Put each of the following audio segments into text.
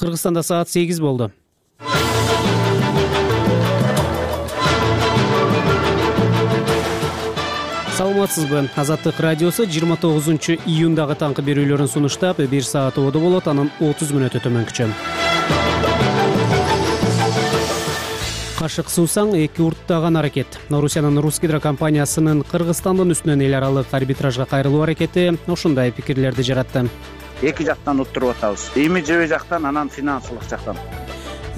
Кыргызстанда саат 8 болду. Саламатсызбы? Азаттык радиосу 29-июндагы таңкы берүүлөрүн сунуштап, 1 саат оодо болот, анын 30 мүнөтү төмөнкүчө. Кашык суусаң эки урттаган аракет. Орусиянын Русгидро компаниясынын Кыргызстандын үстүнөн эл аралык арбитражга кайрылуу аракети ушундай пикирлерди жаратты. Эки жактан уттуруп атабыз. Имиджи жактан, анан финансылык жактан.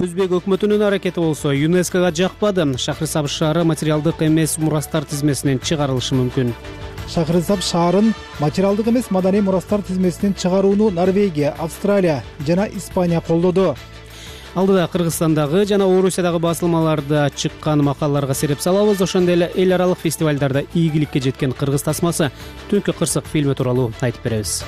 Өзбек өкмөтүнүн аракети болсо ЮНЕСКОга жакпады. Шахрисабз шаары материалдык эмес мурастар тизмесинен чыгарылышы мүмкүн. Шахрисабз шаарын материалдык эмес маданий мурастар тизмесинен чыгарууну Норвегия, Австралия жана Испания колдоду. Алдыда Кыргызстандагы жана Орусиядагы басылмаларда чыккан макалаларга сереп салабыз. Ошондой эле эл аралык фестивалдарда ийгиликке жеткен кыргыз тасмасы Түнкү кырсык фильми тууралуу айтып беребиз.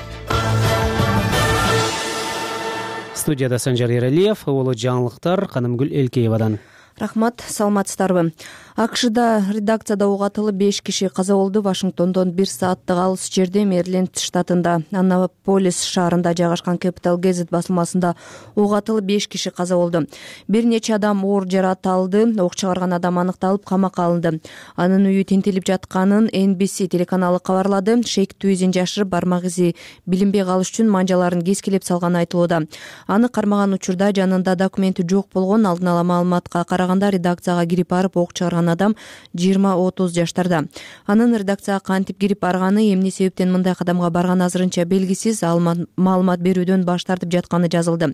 Студияда Санжар Эралиев, улуу жаңылыктар Канымгүл Элкеевадан. Рахмат, саламатсыздарбы? АКШда редакцияда ок атылып 5 киши каза болду. Вашингтондон 1 сааттык алыс жерде Мэриленд штатында Аннаполис шаарында жайгашкан Capital Gazette басылмасында ок атылып 5 киши каза болду. Бир нече адам оор жаракат алды. Ок чыгарган адам аныкталып камакка алынды. Анын үйү тинтелип жатканын NBC телеканалы кабарлады. Шейктүү изин жашырып, бармак изи билинбей калыш үчүн манжаларын кескилеп салганы айтылууда. Аны кармаган учурда жанында документи жок болгон. Алдын ала маалыматка караганда редакцияга кирип барып ок чыгарган адам 20-30 жаштарда. Анын редакцияга кантип кирип барганы, эмне себептен мындай кадамга барганы азырынча белгисиз. Ал маалымат берүүдөн баш тартып жатканы жазылды.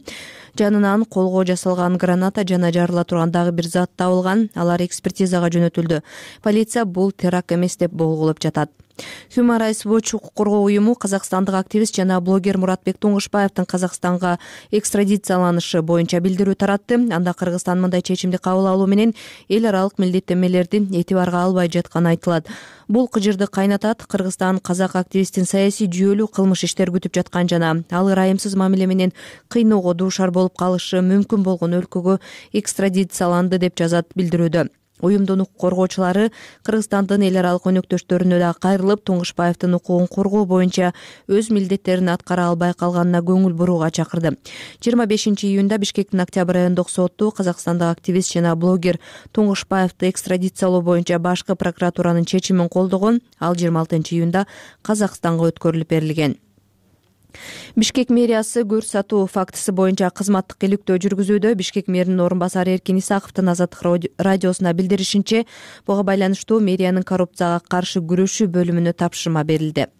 Жанынан колго жасалган граната жана жарыла турган дагы бир зат табылган. Алар экспертизага жөнөтүлдү. Полиция бул теракт эмес деп болгулоп жатат. Human Rights Watch укук коргоо уюму казакстандык активист жана блогер Муратбек Туңгушбаевдин Казакстанга экстрадицияланышы боюнча билдирүү таратты. Анда Кыргызстан мындай чечимди кабыл алуу менен эл аралык милдеттенмелерди этибарга албай жатканы айтылат. Бул кыжырды кайнатат. Кыргызстан казак активисттин саясий жүйөлүү кылмыш иштер күтүп жаткан жана ал ырайымсыз мамиле менен кыйноого дуушар болуп калышы мүмкүн болгон өлкөгө экстрадицияланды деп жазат билдирүүдө. Уюмдун укук коргоочулары Кыргызстандын эл аралык өнөктөштөрүнө да кайрылып, Туңгушбаевдин укугун коргоо боюнча өз милдеттерин аткара албай калганына көңүл бурууга чакырды. 25-июнда Бишкектин Октябрь райондук соту Казакстандык активист жана блогер Туңгушбаевди экстрадициялоо боюнча башкы прокуратуранын чечимин колдогон. Ал 26-июнда Казакстанга өткөрүлүп берилген. Бишкек мэриясы көрсөтүү фактысы боюнча кызматтык иликтөө жүргүзүүдө. Бишкек мэринин орун басары Эркин Исаковдун Азаттык радиосуна билдиришинче, буга байланыштуу мэриянын коррупцияга каршы күрөшүү бөлүмүнө тапшырма берилди.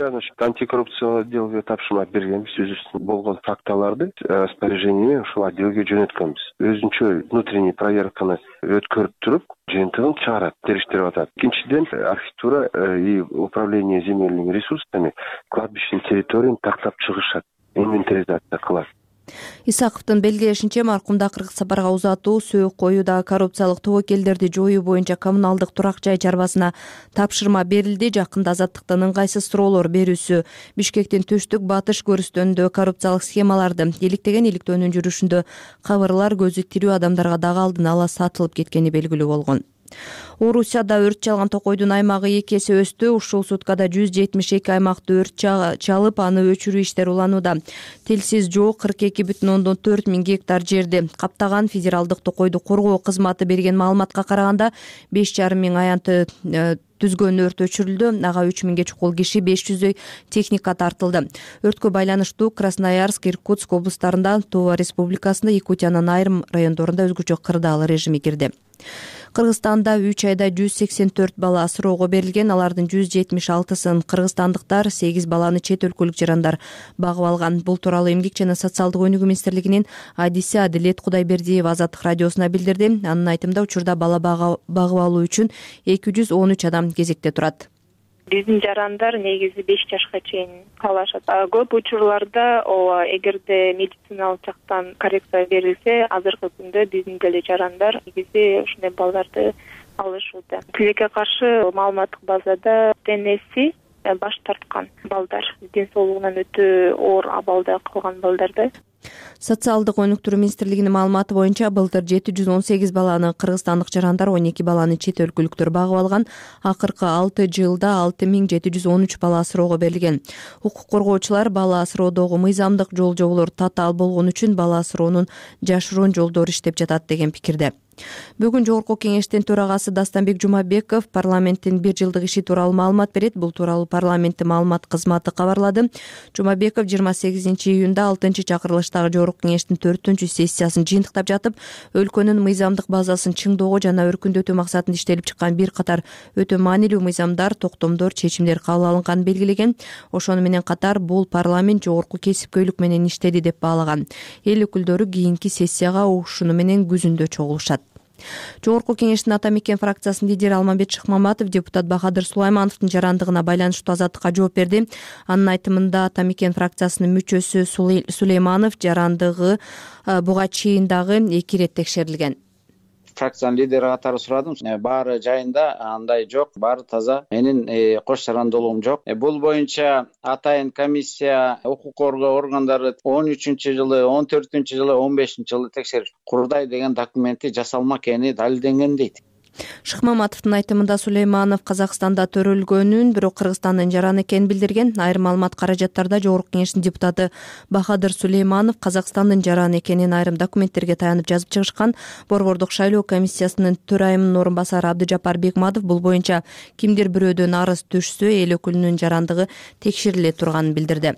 Антикоррупциялык отделге тапшырма бергенбиз. Өзүбүздүн болгон фактыларды распоряжение ушул отделге жөнөткөнбүз. Өзүнчө внутренний проверканы өткөрүп туруп, жыйынтыгын чыгарат, териштирип атат. Экинчиден, архитектура и управление земельными ресурсами кладбищенын территорияны тактап чыгышат, инвентаризация кылат. Исаковдун белгилешинче, маркумда кыргыз сапарга узатуу, сөөк коюуда коррупциялык тобокелдерди жоюу боюнча коммуналдык турак жай чарбасына тапшырма берилди. Жакында азаттыктын ыңгайсыз суроолор берүүсү Бишкектин түштүк батыш көрүстөрүндө коррупциялык схемаларды иликтеген иликтөөнүн жүрүшүндө кабырлар көзү тирүү адамдарга дагы алдын ала сатылып кеткени белгилүү болгон. Орусияда өрт чалган токойдун аймагы 2 эсе өстү. Ушул суткада 172 аймакты өрт чалып, аны өчүрүү иштери уланууда. Телсиз жоо 42,4 миң гектар жерди каптаган. Федералдык токойду коргоо кызматы берген маалыматка караганда 5,5 миң аянты түзгөн өрт өчүрүлдү. Ага 3 миңге чукул киши, 500 техника тартылды. Өрткө байланыштуу Красноярск, Иркутск облустарында, Тува республикасында, Якутиянын айрым райондорунда өзгөчө кырдаал режими кирди. Кыргызстанда 3 айда 184 бала асыроого берилген. Алардын 176-сын кыргызстандыктар, 8 баланы чет өлкөлүк жарандар багып алган. Бул тууралуу Эмгек жана социалдык өнүгүү министрлигинин адиси Адилет Кудайбердиева Азаттык радиосуна билдирди. Анын айтымында, учурда бала багып алуу үчүн 213 адам кезекте турат. Биздин жарандар негизи 5 жашка чейин калышат. Көп учурларда эгерде медициналык жактан коррекция берилсе, азыркы күндө биздин деле жарандар негизи ушундай балдарды алышууда. Тилекке каршы маалыматтык базада денеси баш тарткан балдар, ден соолугунан өтө оор абалда калган балдарды. Социалдык өнүктүрүү министрлигинин маалыматы боюнча былтыр 718 баланы кыргызстандык жарандар, 12 баланы чет өлкөлүктөр багып алган. Акыркы 6 жылда 6713 бала асыроого берилген. Укук коргоочулар бала асыроодогу мыйзамдык жол-жоболор татаал болгон үчүн бала асыроонун жашыруун жолдору иштеп жатат деген пикирде. Бүгүн Жогорку кеңештин төрагасы Дастанбек Жумабеков парламенттин 1 жылдык иши тууралуу маалымат берет. Бул тууралуу парламенттин маалымат кызматы кабарлады. Жумабеков 28 июнда 6-чакырылыштагы Жогорку кеңештин 4-сессиясын жыйынтыктап жатып, өлкөнүн мыйзамдык базасын чыңдоого жана өркүндөтүү максатында иштелип чыккан бир катар өтө маанилүү мыйзамдар, токтомдор, чечимдер кабыл алынганын белгилеген. Ошону менен катар бул парламент жогорку кесипкөйлүк менен иштеди деп баалаган. Эл өкүлдөрү кийинки сессияга ушуну менен күзүндө чогулушат. Жогорку кеңештин Ата Мекен фракциясынын лидери Алмамбет Шыкмаматов депутат Бахадыр Сулаймановдун жарандыгына байланыштуу Азаттыкка жооп берди. Анын айтымында Ата Мекен фракциясынын мүчөсү Сулейманов жарандыгы буга чейин дагы 2 ирет текшерилген. Фракциянын лидери катары сурадым. Баары жайында, андай жок, баары таза. Менин кош жарандуулугум жок. Бул боюнча атайын комиссия укук коргоо органдары 13-жылы, 14-жылы, 15-жылы текшерип курдай деген документи жасалма экени далилденген дейт. Шыкмаматовдун айтымында Сулейманов Казакстанда төрөлгөнүн, бирок Кыргызстандын жараны экенин билдирген. Айрым маалымат каражаттарда Жогорку кеңештин депутаты Бахадыр Сулейманов Казакстандын жараны экенин айрым документтерге таянып жазып чыгышкан. Борбордук шайлоо комиссиясынын төрайымынын орун басары Абдыжапар Бекматов бул боюнча кимдир бирөөдөн арыз түшсө эл өкүлүнүн жарандыгы текшериле турганын билдирди.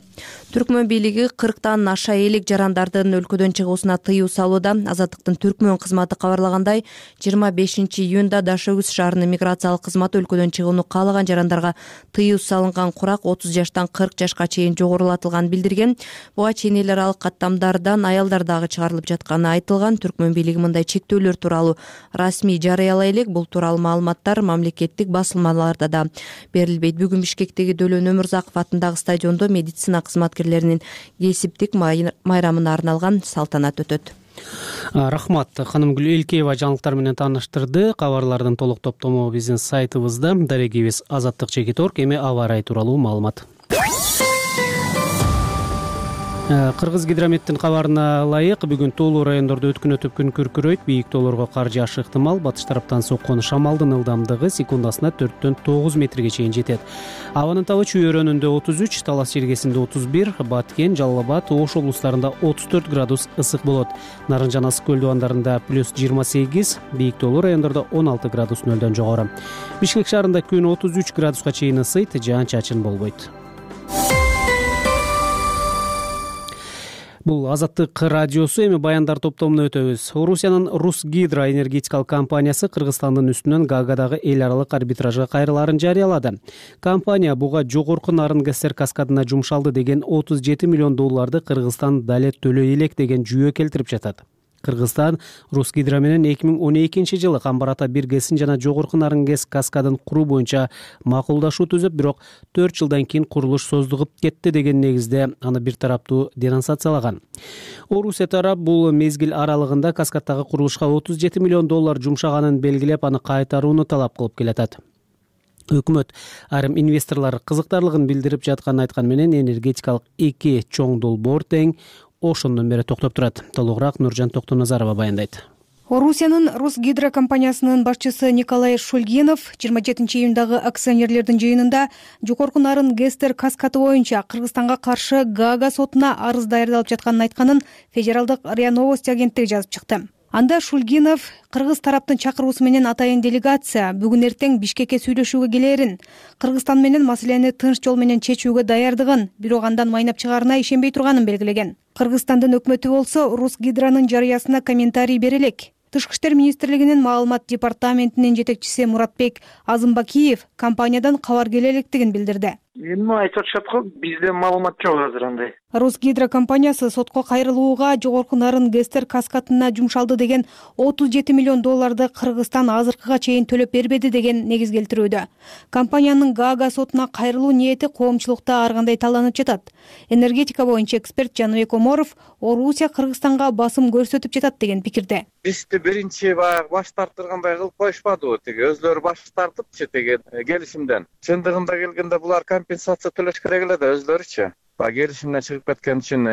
Түркмөн бийлиги 40тан аша элек жарандардын өлкөдөн чыгуусуна тыюу салууда. Азаттыктын Түркмөн кызматы кабарлагандай, 25-июнда Дашөгүз шаарынын миграциялык кызматы өлкөдөн чыгууну каалаган жарандарга тыюу салынган курак 30 жаштан 40 жашка чейин жогорулатылганын билдирген. Буга чейин эл аралык каттамдардан аялдар дагы чыгарылып жатканы айтылган. Түркмөн бийлиги мындай чектөөлөр тууралуу расмий жарыялай элек. Бул тууралуу маалыматтар мамлекеттик басылмаларда да берилбейт. Бүгүн Бишкектеги Дөлөн Өмүрзаков атындагы стадиондо медицина кызматкерлеринин кесиптик майрамына арналган салтанат өтөт. Рахмат. Ханымгүл Элкеева жаңылыктар менен тааныштырды. Кабарлардын толук топтому биздин сайтыбызда. Дарегибиз azattik.org. Эми аба ырайы тууралуу маалымат. Кыргыз гидрометтин кабарына ылайык, бүгүн тоолуу райондордо өткүнөтүп күн күркүрөйт, бийик тоолорго кар жаашы ыктымал. Батыш тараптан соккон шамалдын ылдамдыгы секундасына 4-төн 9 метрге чейин жетет. Абанын табы Чүй өрөөнүндө 33, Талас жергесинде 31, Баткен, Жалал Абад, Ош облустарында 34 градус ысык болот. Нарынжан Ысык көл дубандарында +28, бийик тоолуу райондордо 16 градус нөлдөн жогору. Бишкек шаарында күн 33 градуска чейин ысыйт, жаан-чачын болбойт. Бул Азаттык радиосу. Эми баяндар топтомуна өтөбүз. Орусиянын Русгидро энергетикалык компаниясы Кыргызстандын үстүнөн Гаагадагы эл аралык арбитражга кайрылаарын жарыялады. Компания буга жогорку нарын ГСР каскадына жумшалды деген $37 миллион Кыргызстан дале төлөй элек деген жүйө келтирип жатат. Кыргызстан Русгидро менен 2012-жылы Камбар Ата биргесин жана жогорку нарын ГЭС каскадын куруу боюнча макулдашуу түзүп, бирок 4 жылдан кийин курулуш создугуп кетти деген негизде аны бир тараптуу денонсациялаган. Орусия тарап бул мезгил аралыгында каскаддагы курулушка $37 миллион жумшаганын белгилеп, аны кайтарууну талап кылып келатат. Өкмөт айрым инвесторлор кызыктарлыгын билдирип жатканын айткан менен энергетикалык 2 чоң долбоор тең ошондон бери токтоп турат. Толугураак Нуржан Токтоназарова баяндайт. Орусиянын Русгидро компаниясынын башчысы Николай Шульгинов 27 июндагы акционерлердин жыйынында жогорку нарын ГЭСтер каскаты боюнча Кыргызстанга каршы Гаага сотуна арыз даярдалып жатканын айтканын Федералдык РИА Новости агенттиги жазып чыкты. Анда Шульгинов кыргыз тараптын чакыруусу менен атайын делегация бүгүн эртең Бишкекке сүйлөшүүгө келээрин, Кыргызстан менен маселени тынч жол менен чечүүгө даярдыгын, бирок андан майнап чыгаарына ишенбей турганын белгилеген. Кыргызстандын өкмөтү болсо Русгидронун жарыясына комментарий бере элек. Тышкы иштер министрлигинин маалымат департаментинин жетекчиси Муратбек Азымбакиев компаниядан кабар келе электигин билдирди. Эми айтып атышат го, бизде маалымат жок азыр андай. Русгидро компаниясы сотко кайрылууга жогорку нарын ГЭСтер каскатына жумшалды деген $37 миллион Кыргызстан азыркыга чейин төлөп бербеди деген негиз келтирүүдө. Компаниянын Гаага сотуна кайрылуу ниети коомчулукта ар кандай талданып жатат. Энергетика боюнча эксперт Жаныбек Оморов Орусия Кыргызстанга басым көрсөтүп жатат деген пикирде. Бизди биринчи баш тартыргандай кылып коюшпадыбы, өзлөрү баш тартыпчы деген келишимден. Чындыгында келгенде булар компенсация төлөш керек эле да өзлөрүчү. Баягы келишимден чыгып кеткен үчүн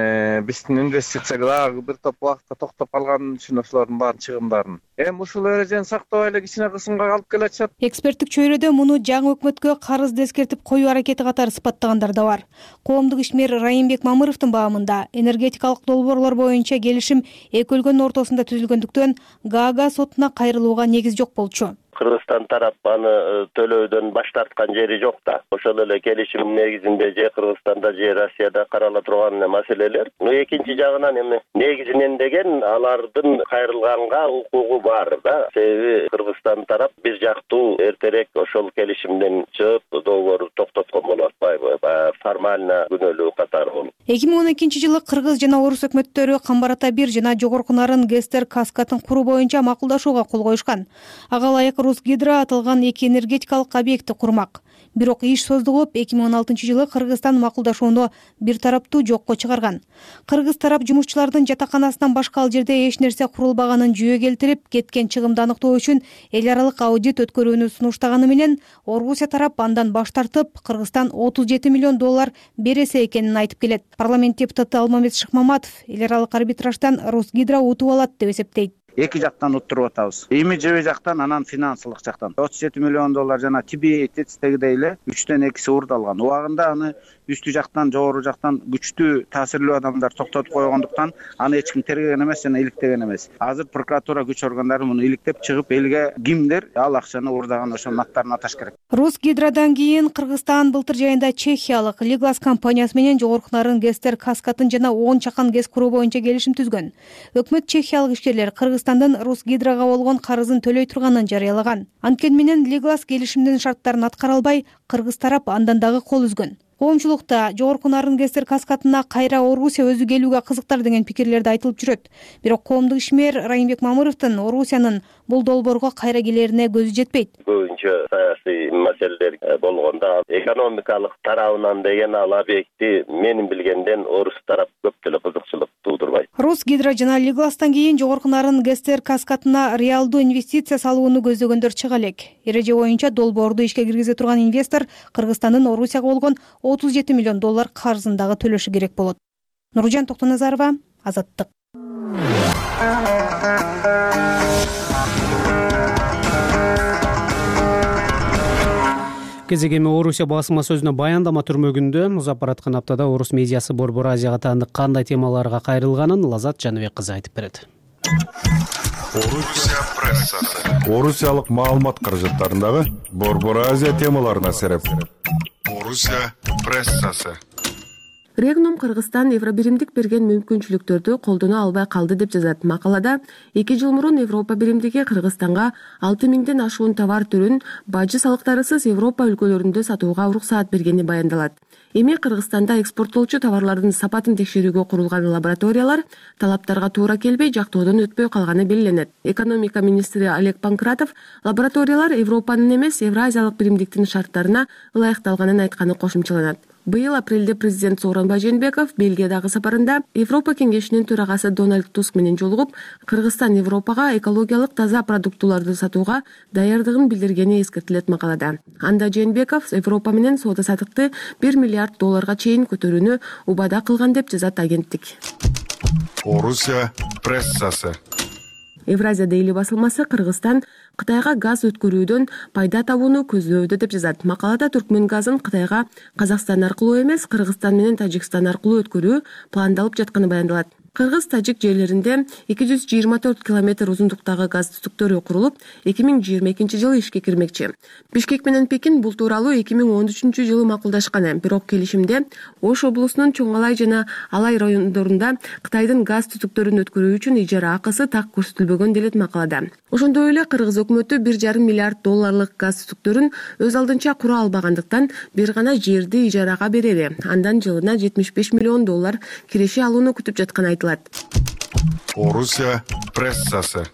биздин инвестициялар бир топ убакытка токтоп калган үчүн ошолордун баарын чыгымдарын эми ушул эрежени сактабай эле кичине кысымга алып келатышат. Эксперттик чөйрөдө муну жаңы өкмөткө карызды эскертип коюу аракети катары сыпаттагандар да бар. Коомдук ишмер Райымбек Мамыровдун баамында энергетикалык долбоорлор боюнча келишим эки өлкөнүн ортосунда түзүлгөндүктөн Гаага сотуна кайрылууга негиз жок болчу. Кыргызстан тарап аны төлөөдөн баш тарткан жери жок да. Ошол эле келишим негизинде же Кыргызстанда же Россияда карала турган маселелер. Экинчи жагынан эми негизинен деген алардын кайрылганга укугу бар да. Себеби Кыргызстан тарап бир жактуу эртерээк ошол келишимден чыгып долбоорду токтоткон болуп атпайбы? Формально күнөөлүү катары болуп. 2012-жылы Кыргыз жана Орус өкмөттөрү Камбар Ата 1 жана Жогорку Нарын ГЭСтер Каскатын куруу боюнча макулдашууга кол коюшкан. Ага ылайык Русгидро аталган эки энергетикалык объектти курмак. Бирок иш создугуп 2016-жылы Кыргызстан макулдашууну бир тараптуу жокко чыгарган. Кыргыз тарап жумушчулардын жатаканасынан башка ал жерде эч нерсе курулбаганын жүйө келтирип, кеткен чыгымды аныктоо үчүн эл аралык аудит өткөрүүнү сунуштаганы менен Орусия тарап андан баш тартып, Кыргызстан $37 миллион бересе экенин айтып келет. Парламент депутаты Алмамет Шыкмаматов эл аралык арбитраждан Русгидро утуп алат деп эсептейт. Эки жактан уттуруп атабыз. Имиджеви жактан, анан финансылык жактан. $37 миллион жана TBA тетистегидей эле 3төн 2 уурдалган. Убагында аны үстү жактан, жогору жактан күчтүү таасирлүү адамдар токтотуп койгондуктан аны эч ким тергеген эмес жана иликтеген эмес. Азыр прокуратура күч органдары муну иликтеп чыгып, элге кимдир ал акчаны уурдаган ошонун аттарын аташ керек. Русгидродан кийин Кыргызстан былтыр жайында чехиялык Liglas компаниясы менен Жогорку Нарын ГЭСтер Каскатын жана 10 чакан ГЭС куруу боюнча келишим түзгөн. Өкмөт чехиялык ишкерлер Кыргызстандын Русгидрога болгон карызын төлөй турганын жарыялаган. Анткени менен Liglas келишимдин шарттарын аткара албай, Кыргыз тарап андан дагы кол үзгөн. Коомчулукта Жогорку Нарын ГЭСтер Каскатына кайра Орусия өзү келүүгө кызыктар деген пикирлерди айтылып жүрөт. Бирок коомдук ишмер Райымбек Мамыровдун Орусиянын бул долбоорго кайра келерине көзү жетпейт. Көбүнчө саясий маселелер болгондо экономикалык тарабынан деген ал объекти менин билгенден Орус тарап көп деле кызыкчылык туудурбайт. Русгидро жана Liglas'тан кийин Жогорку Нарын ГЭСтер Каскатына реалдуу инвестиция салууну көздөгөндөр чыга элек. Эреже боюнча долбоорду ишке киргизе турган инвестор Кыргызстандын Орусияга болгон $37 миллион карызын дагы төлөшү керек болот. Нуржан Токтоназарова, Азаттык. Кезек эми Орусия басма сөзүнө баяндама түрмөгүндө музап бараткан аптада орус медиасы Борбор Азияга таандык кандай темаларга кайрылганын Лазат Жаныбек кызы айтып берет. Орусия прессасы. Орусиялык маалымат каражаттарындагы Борбор Азия темаларына сереп. Орусия прессасы. Регнум Кыргызстан Евробиримдик берген мүмкүнчүлүктөрдү колдоно албай калды деп жазат. Макалада 2 жыл мурун Европа биримдиги Кыргызстанга 6000ден ашуун товар түрүн бажы салыктарысыз Европа өлкөлөрүндө сатууга уруксаат бергени баяндалат. Эми Кыргызстанда экспорттолчу товарлардын сапатын текшерүүгө курулган лабораториялар талаптарга туура келбей, жактоодон өтпөй калганы белгиленет. Экономика министри Олег Панкратов лабораториялар Европанын эмес, Евразиялык биримдиктин шарттарына ылайыкталганын айтканы кошумчаланат. Быйыл апрелде президент Сооронбай Жээнбеков Бельгиядагы сапарында Европа кеңешинин төрагасы Дональд Туск менен жолугуп, Кыргызстан Европага экологиялык таза продуктуларды сатууга даярдыгын билдиргени эскертилет макалада. Анда Жээнбеков Европа менен соода-саттыкты $1 миллиард чейин көтөрүүнү убада кылган деп жазат агенттик. Орусия прессасы. Евразия дейли басылмасы Кыргызстан Кытайга газ өткөрүүдөн пайда табууну көздөбүдө деп жазат. Макалада Түркмөн газын Кытайга Казакстан аркылуу эмес, Кыргызстан менен Тажикстан аркылуу өткөрүү пландалып жатканы баяндалат. Кыргыз-Тажик жерлеринде 224 километр узундуктагы газ түтүктөрү курулуп, 2022-жылы ишке кирмекчи. Бишкек менен Пекин бул тууралуу 2013-жылы макулдашкан. Бирок келишимде Ош облусунун Чоңалай жана Алай райондорунда Кытайдын газ түтүктөрүн өткөрүү үчүн ижара акысы так көрсөтүлбөгөн делет макалада. Ошондой эле Кыргыз өкмөтү $1,5 миллиард газ түтүктөрүн өз алдынча кура албагандыктан бир гана жерди ижарага берери, андан жылына $75 миллион киреше алууну күтүп жатканы айтылат. Орусия прессасы.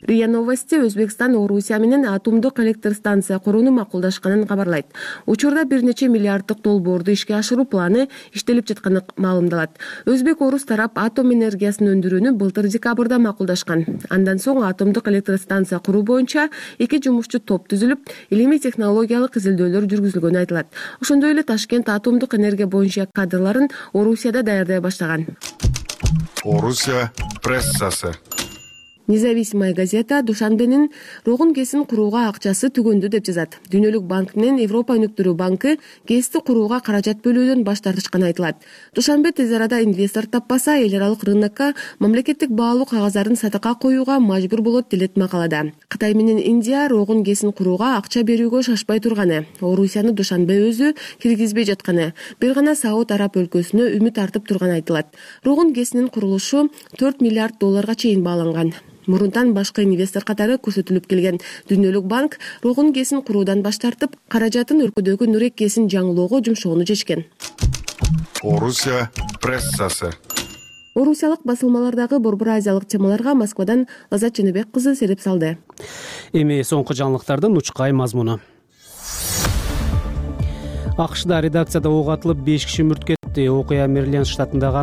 РИА Новости Өзбекстан Орусия менен атомдук электр станция курууну макулдашканын кабарлайт. Учурда бир нече миллиарддык долбоорду ишке ашыруу планы иштелип жатканы маалымдалат. Өзбек-орус тарап атом энергиясын өндүрүүнү былтыр декабрда макулдашкан. Андан соң атомдук электр станция куруу боюнча 2 жумушчу топ түзүлүп, илимий технологиялык изилдөөлөр жүргүзүлгөнү айтылат. Ошондой эле Ташкент атомдук энергия боюнча кадрларын Орусияда даярдай баштаган. Орусия прессасы. Независимая газета Душанбенин Рогун КЭСин курууга акчасы түгөндү деп жазат. Дүйнөлүк банк менен Европа өнүктүрүү банкы КЭСти курууга каражат бөлүүдөн баш тартышканы айтылат. Душанбе тез арада инвестор таппаса, эл аралык рынокко мамлекеттик баалуу кагаздарын сатыкка коюуга мажбур болот делет макалада. Кытай менен Индия Рогун КЭСин курууга акча берүүгө шашпай турганы, Орусияны Душанбе өзү киргизбей жатканы, бир гана Сауд Араб өлкөсүнө үмүт артып турганы айтылат. Рогун КЭСинин курулушу 4 миллиард долларга чейин бааланган. Мурунтан башкы инвестор катары көрсөтүлүп келген Дүйнөлүк банк Рогун КЭСин куруудан баш тартып, каражатын өлкөдөгү Нурек КЭСин жаңылоого жумшоону чечкен. Орусия прессасы. Орусиялык басылмалардагы Борбор Азиялык темаларга Москвадан Лазат Ченебек кызы сереп салды. Эми соңку жаңылыктардын учкай мазмуну. АКШда редакцияда ок атылып 5 киши мүрт кетти. Окуя Мэриленд штатындагы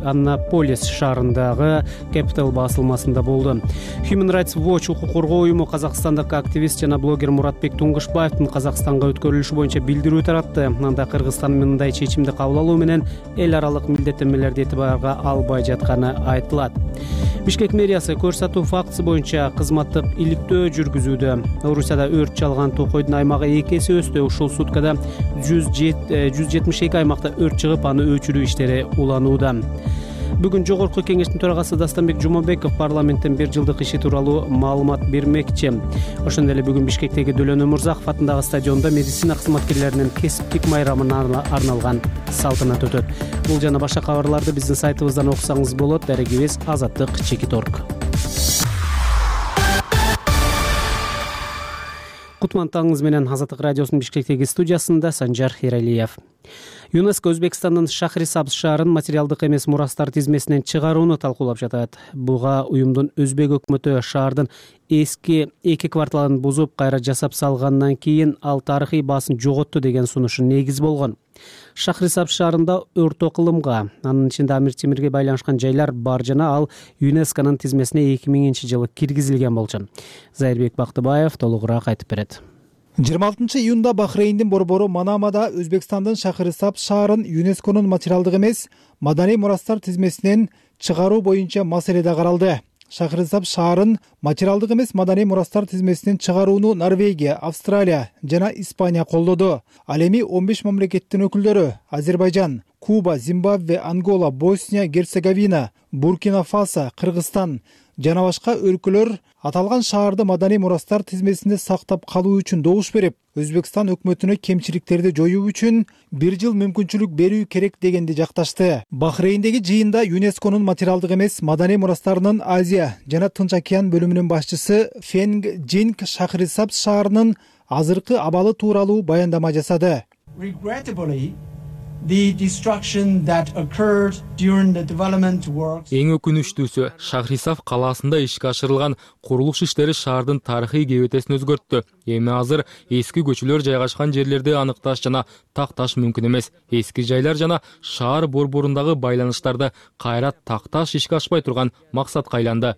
Аннаполис шаарындагы Capital басылмасында болду. Human Rights Watch укук коргоо уюму казакстандык активист жана блогер Муратбек Туңгушбаевдин Казакстанга өткөрүлүшү боюнча билдирүү таратты. Анда Кыргызстан мындай чечимди кабыл алуу менен эл аралык милдеттенмелерди этибарга албай жатканы айтылат. Бишкек мэриясы көрсөтүү фактысы боюнча кызматтык иликтөө жүргүзүүдө. Орусияда өрт чалган токойдун аймагы 2 эсе өстү. Ушул суткада 172 аймакта өрт чыгып, аны өчүрүү иштери уланууда. Бүгүн Жогорку кеңештин төрагасы Дастанбек Жумабеков парламенттен 1 жылдык иши тууралуу маалымат бермекчи. Ошондой эле бүгүн Бишкектеги Дөлөн Өмүрзаков атындагы стадиондо медицина кызматкерлеринин кесиптик майрамына арналган салтанат өтөт. Бул жана башка кабарларды биздин сайтыбыздан окусаңыз болот. Дарегибиз Азаттык.org. Кутман таңыңыз менен Азаттык радиосунун Бишкектеги студиясында Санжар Эралиев. ЮНЕСКО Өзбекстандын Шахрисабз шаарын материалдык эмес мурастар тизмесинен чыгарууну талкуулап жатат. Буга уюмдун Өзбек өкмөтү шаардын эски 2 кварталын бузуп, кайра жасап салгандан кийин ал тарыхый баасын жоготту деген сунушу негиз болгон. Шахрисабз шаарында өртө кылымга, анын ичинде Амир Темирге байланышкан жайлар бар жана ал ЮНЕСКонун тизмесине 2000-жылы киргизилген болчу. Зайырбек Бактыбаев толугураак айтып берет. 26 июнда Бахрейндин борбору Манамада Өзбекстандын Шахрисабз шаарын ЮНЕСКонун материалдык эмес маданий мурастар тизмесинен чыгаруу боюнча маселеде каралды. Шахрисабз шаарын материалдык эмес маданий мурастар тизмесинен чыгарууну Норвегия, Австралия жана Испания колдоду. Ал эми 15 мамлекеттин өкүлдөрү Азербайжан, Куба, Зимбабве, Ангола, Босния, Герцеговина, Буркина Фасо, Кыргызстан жана башка өлкөлөр аталган шаарды маданий мурастар тизмесинде сактап калуу үчүн добуш берип, Өзбекстан өкмөтүнө кемчиликтерди жоюу үчүн 1 жыл мүмкүнчүлүк берүү керек дегенди жакташты. Бахрейндеги жыйында ЮНЕСКонун материалдык эмес маданий мурастарынын Азия жана Тынч океан бөлүмүнүн башчысы Фенг Джинг Шахрисабз шаарынын азыркы абалы тууралуу баяндама жасады. Эң өкүнүчтүүсү, Шахрисабз калаасында ишке ашырылган курулуш иштери шаардын тарыхый кебетесин өзгөрттү. Эми азыр эски көчөлөр жайгашкан жерлерди аныкташ жана такташ мүмкүн эмес. Эски жайлар жана шаар борборундагы байланыштарды кайра такташ ишке ашпай турган максатка айланды.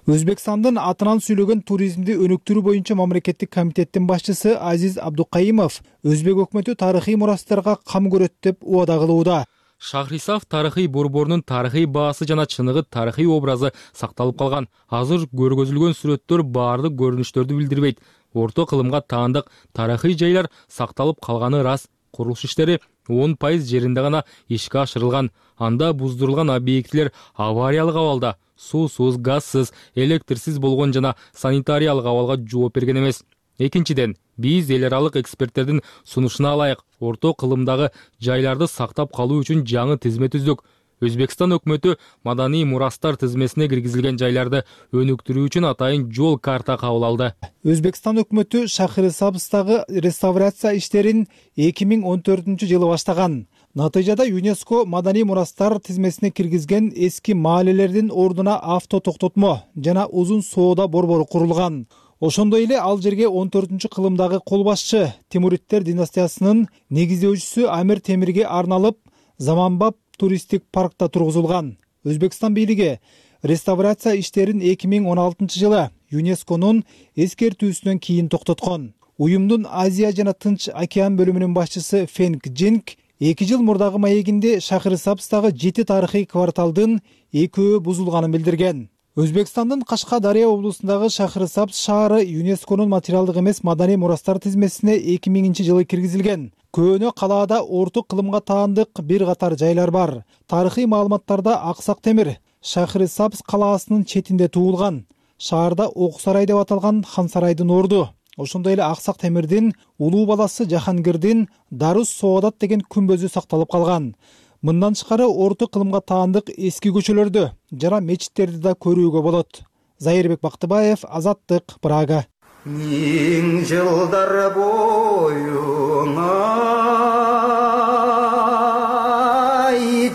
Өзбекстандын атынан сүйлөгөн туризмди өнүктүрүү боюнча мамлекеттик комитеттин башчысы Азиз Абдукаимов өзбек өкмөтү тарыхый мурастарга кам көрөт деп убада кылууда. Шахрисабз тарыхый борборунун тарыхый баасы жана чыныгы тарыхый образы сакталып калган. Азыр көргөзүлгөн сүрөттөр баардык көрүнүштөрдү билдирбейт. Орто кылымга таандык тарыхый жайлар сакталып калганы рас. Курулуш иштери 10% жеринде гана ишке ашырылган. Анда буздурулган объектилер авариялык абалда, суусуз, газсыз, электрсиз болгон жана санитариялык абалга жооп берген эмес. Экинчиден, биз эл аралык эксперттердин сунушуна ылайык орто кылымдагы жайларды сактап калуу үчүн жаңы тизме түздүк. Өзбекстан өкмөтү маданий мурастар тизмесине киргизилген жайларды өнүктүрүү үчүн атайын жол карта кабыл алды. Өзбекстан өкмөтү Шахрисабздагы реставрация иштерин 2014-жылы баштаган. Натыйжада ЮНЕСКО маданий мурастар тизмесине киргизген эски маалелердин ордуна авто токтотмо жана узун соода борбору курулган. Ошондой эле ал жерге 14-кылымдагы кол башчы Тимуриттер династиясынын негиздөөчүсү Амир Темирге арналып заманбап туристтик паркта тургузулган. Өзбекстан бийлиги реставрация иштерин 2016-жылы ЮНЕСКОнун эскертүүсүнөн кийин токтоткон. Уюмдун Азия жана Тынч океан бөлүмүнүн башчысы Фенг Джинг 2 жыл мурдагы маегинде Шахрисабздагы 7 тарыхый кварталдын 2 бузулганын билдирген. Өзбекстандын Кашкадария облусундагы Шахрисабз шаары ЮНЕСКОнун материалдык эмес маданий мурастар тизмесине 2000-жылы киргизилген. Көөнө калаада орто кылымга таандык бир катар жайлар бар. Тарыхый маалыматтарда Аксак темир Шахрисабз калаасынын четинде туулган. Шаарда Ок сарай деп аталган хан сарайдын орду. Ошондой эле Аксак темирдин улуу баласы Жахангирдин Дарус Соодат деген күмбөзү сакталып калган. Мындан тышкары орто кылымга таандык эски көчөлөрдү жана мечиттерди да көрүүгө болот. Зайырбек Бактыбаев, Азаттык, Прага. Миң жылдар боюңа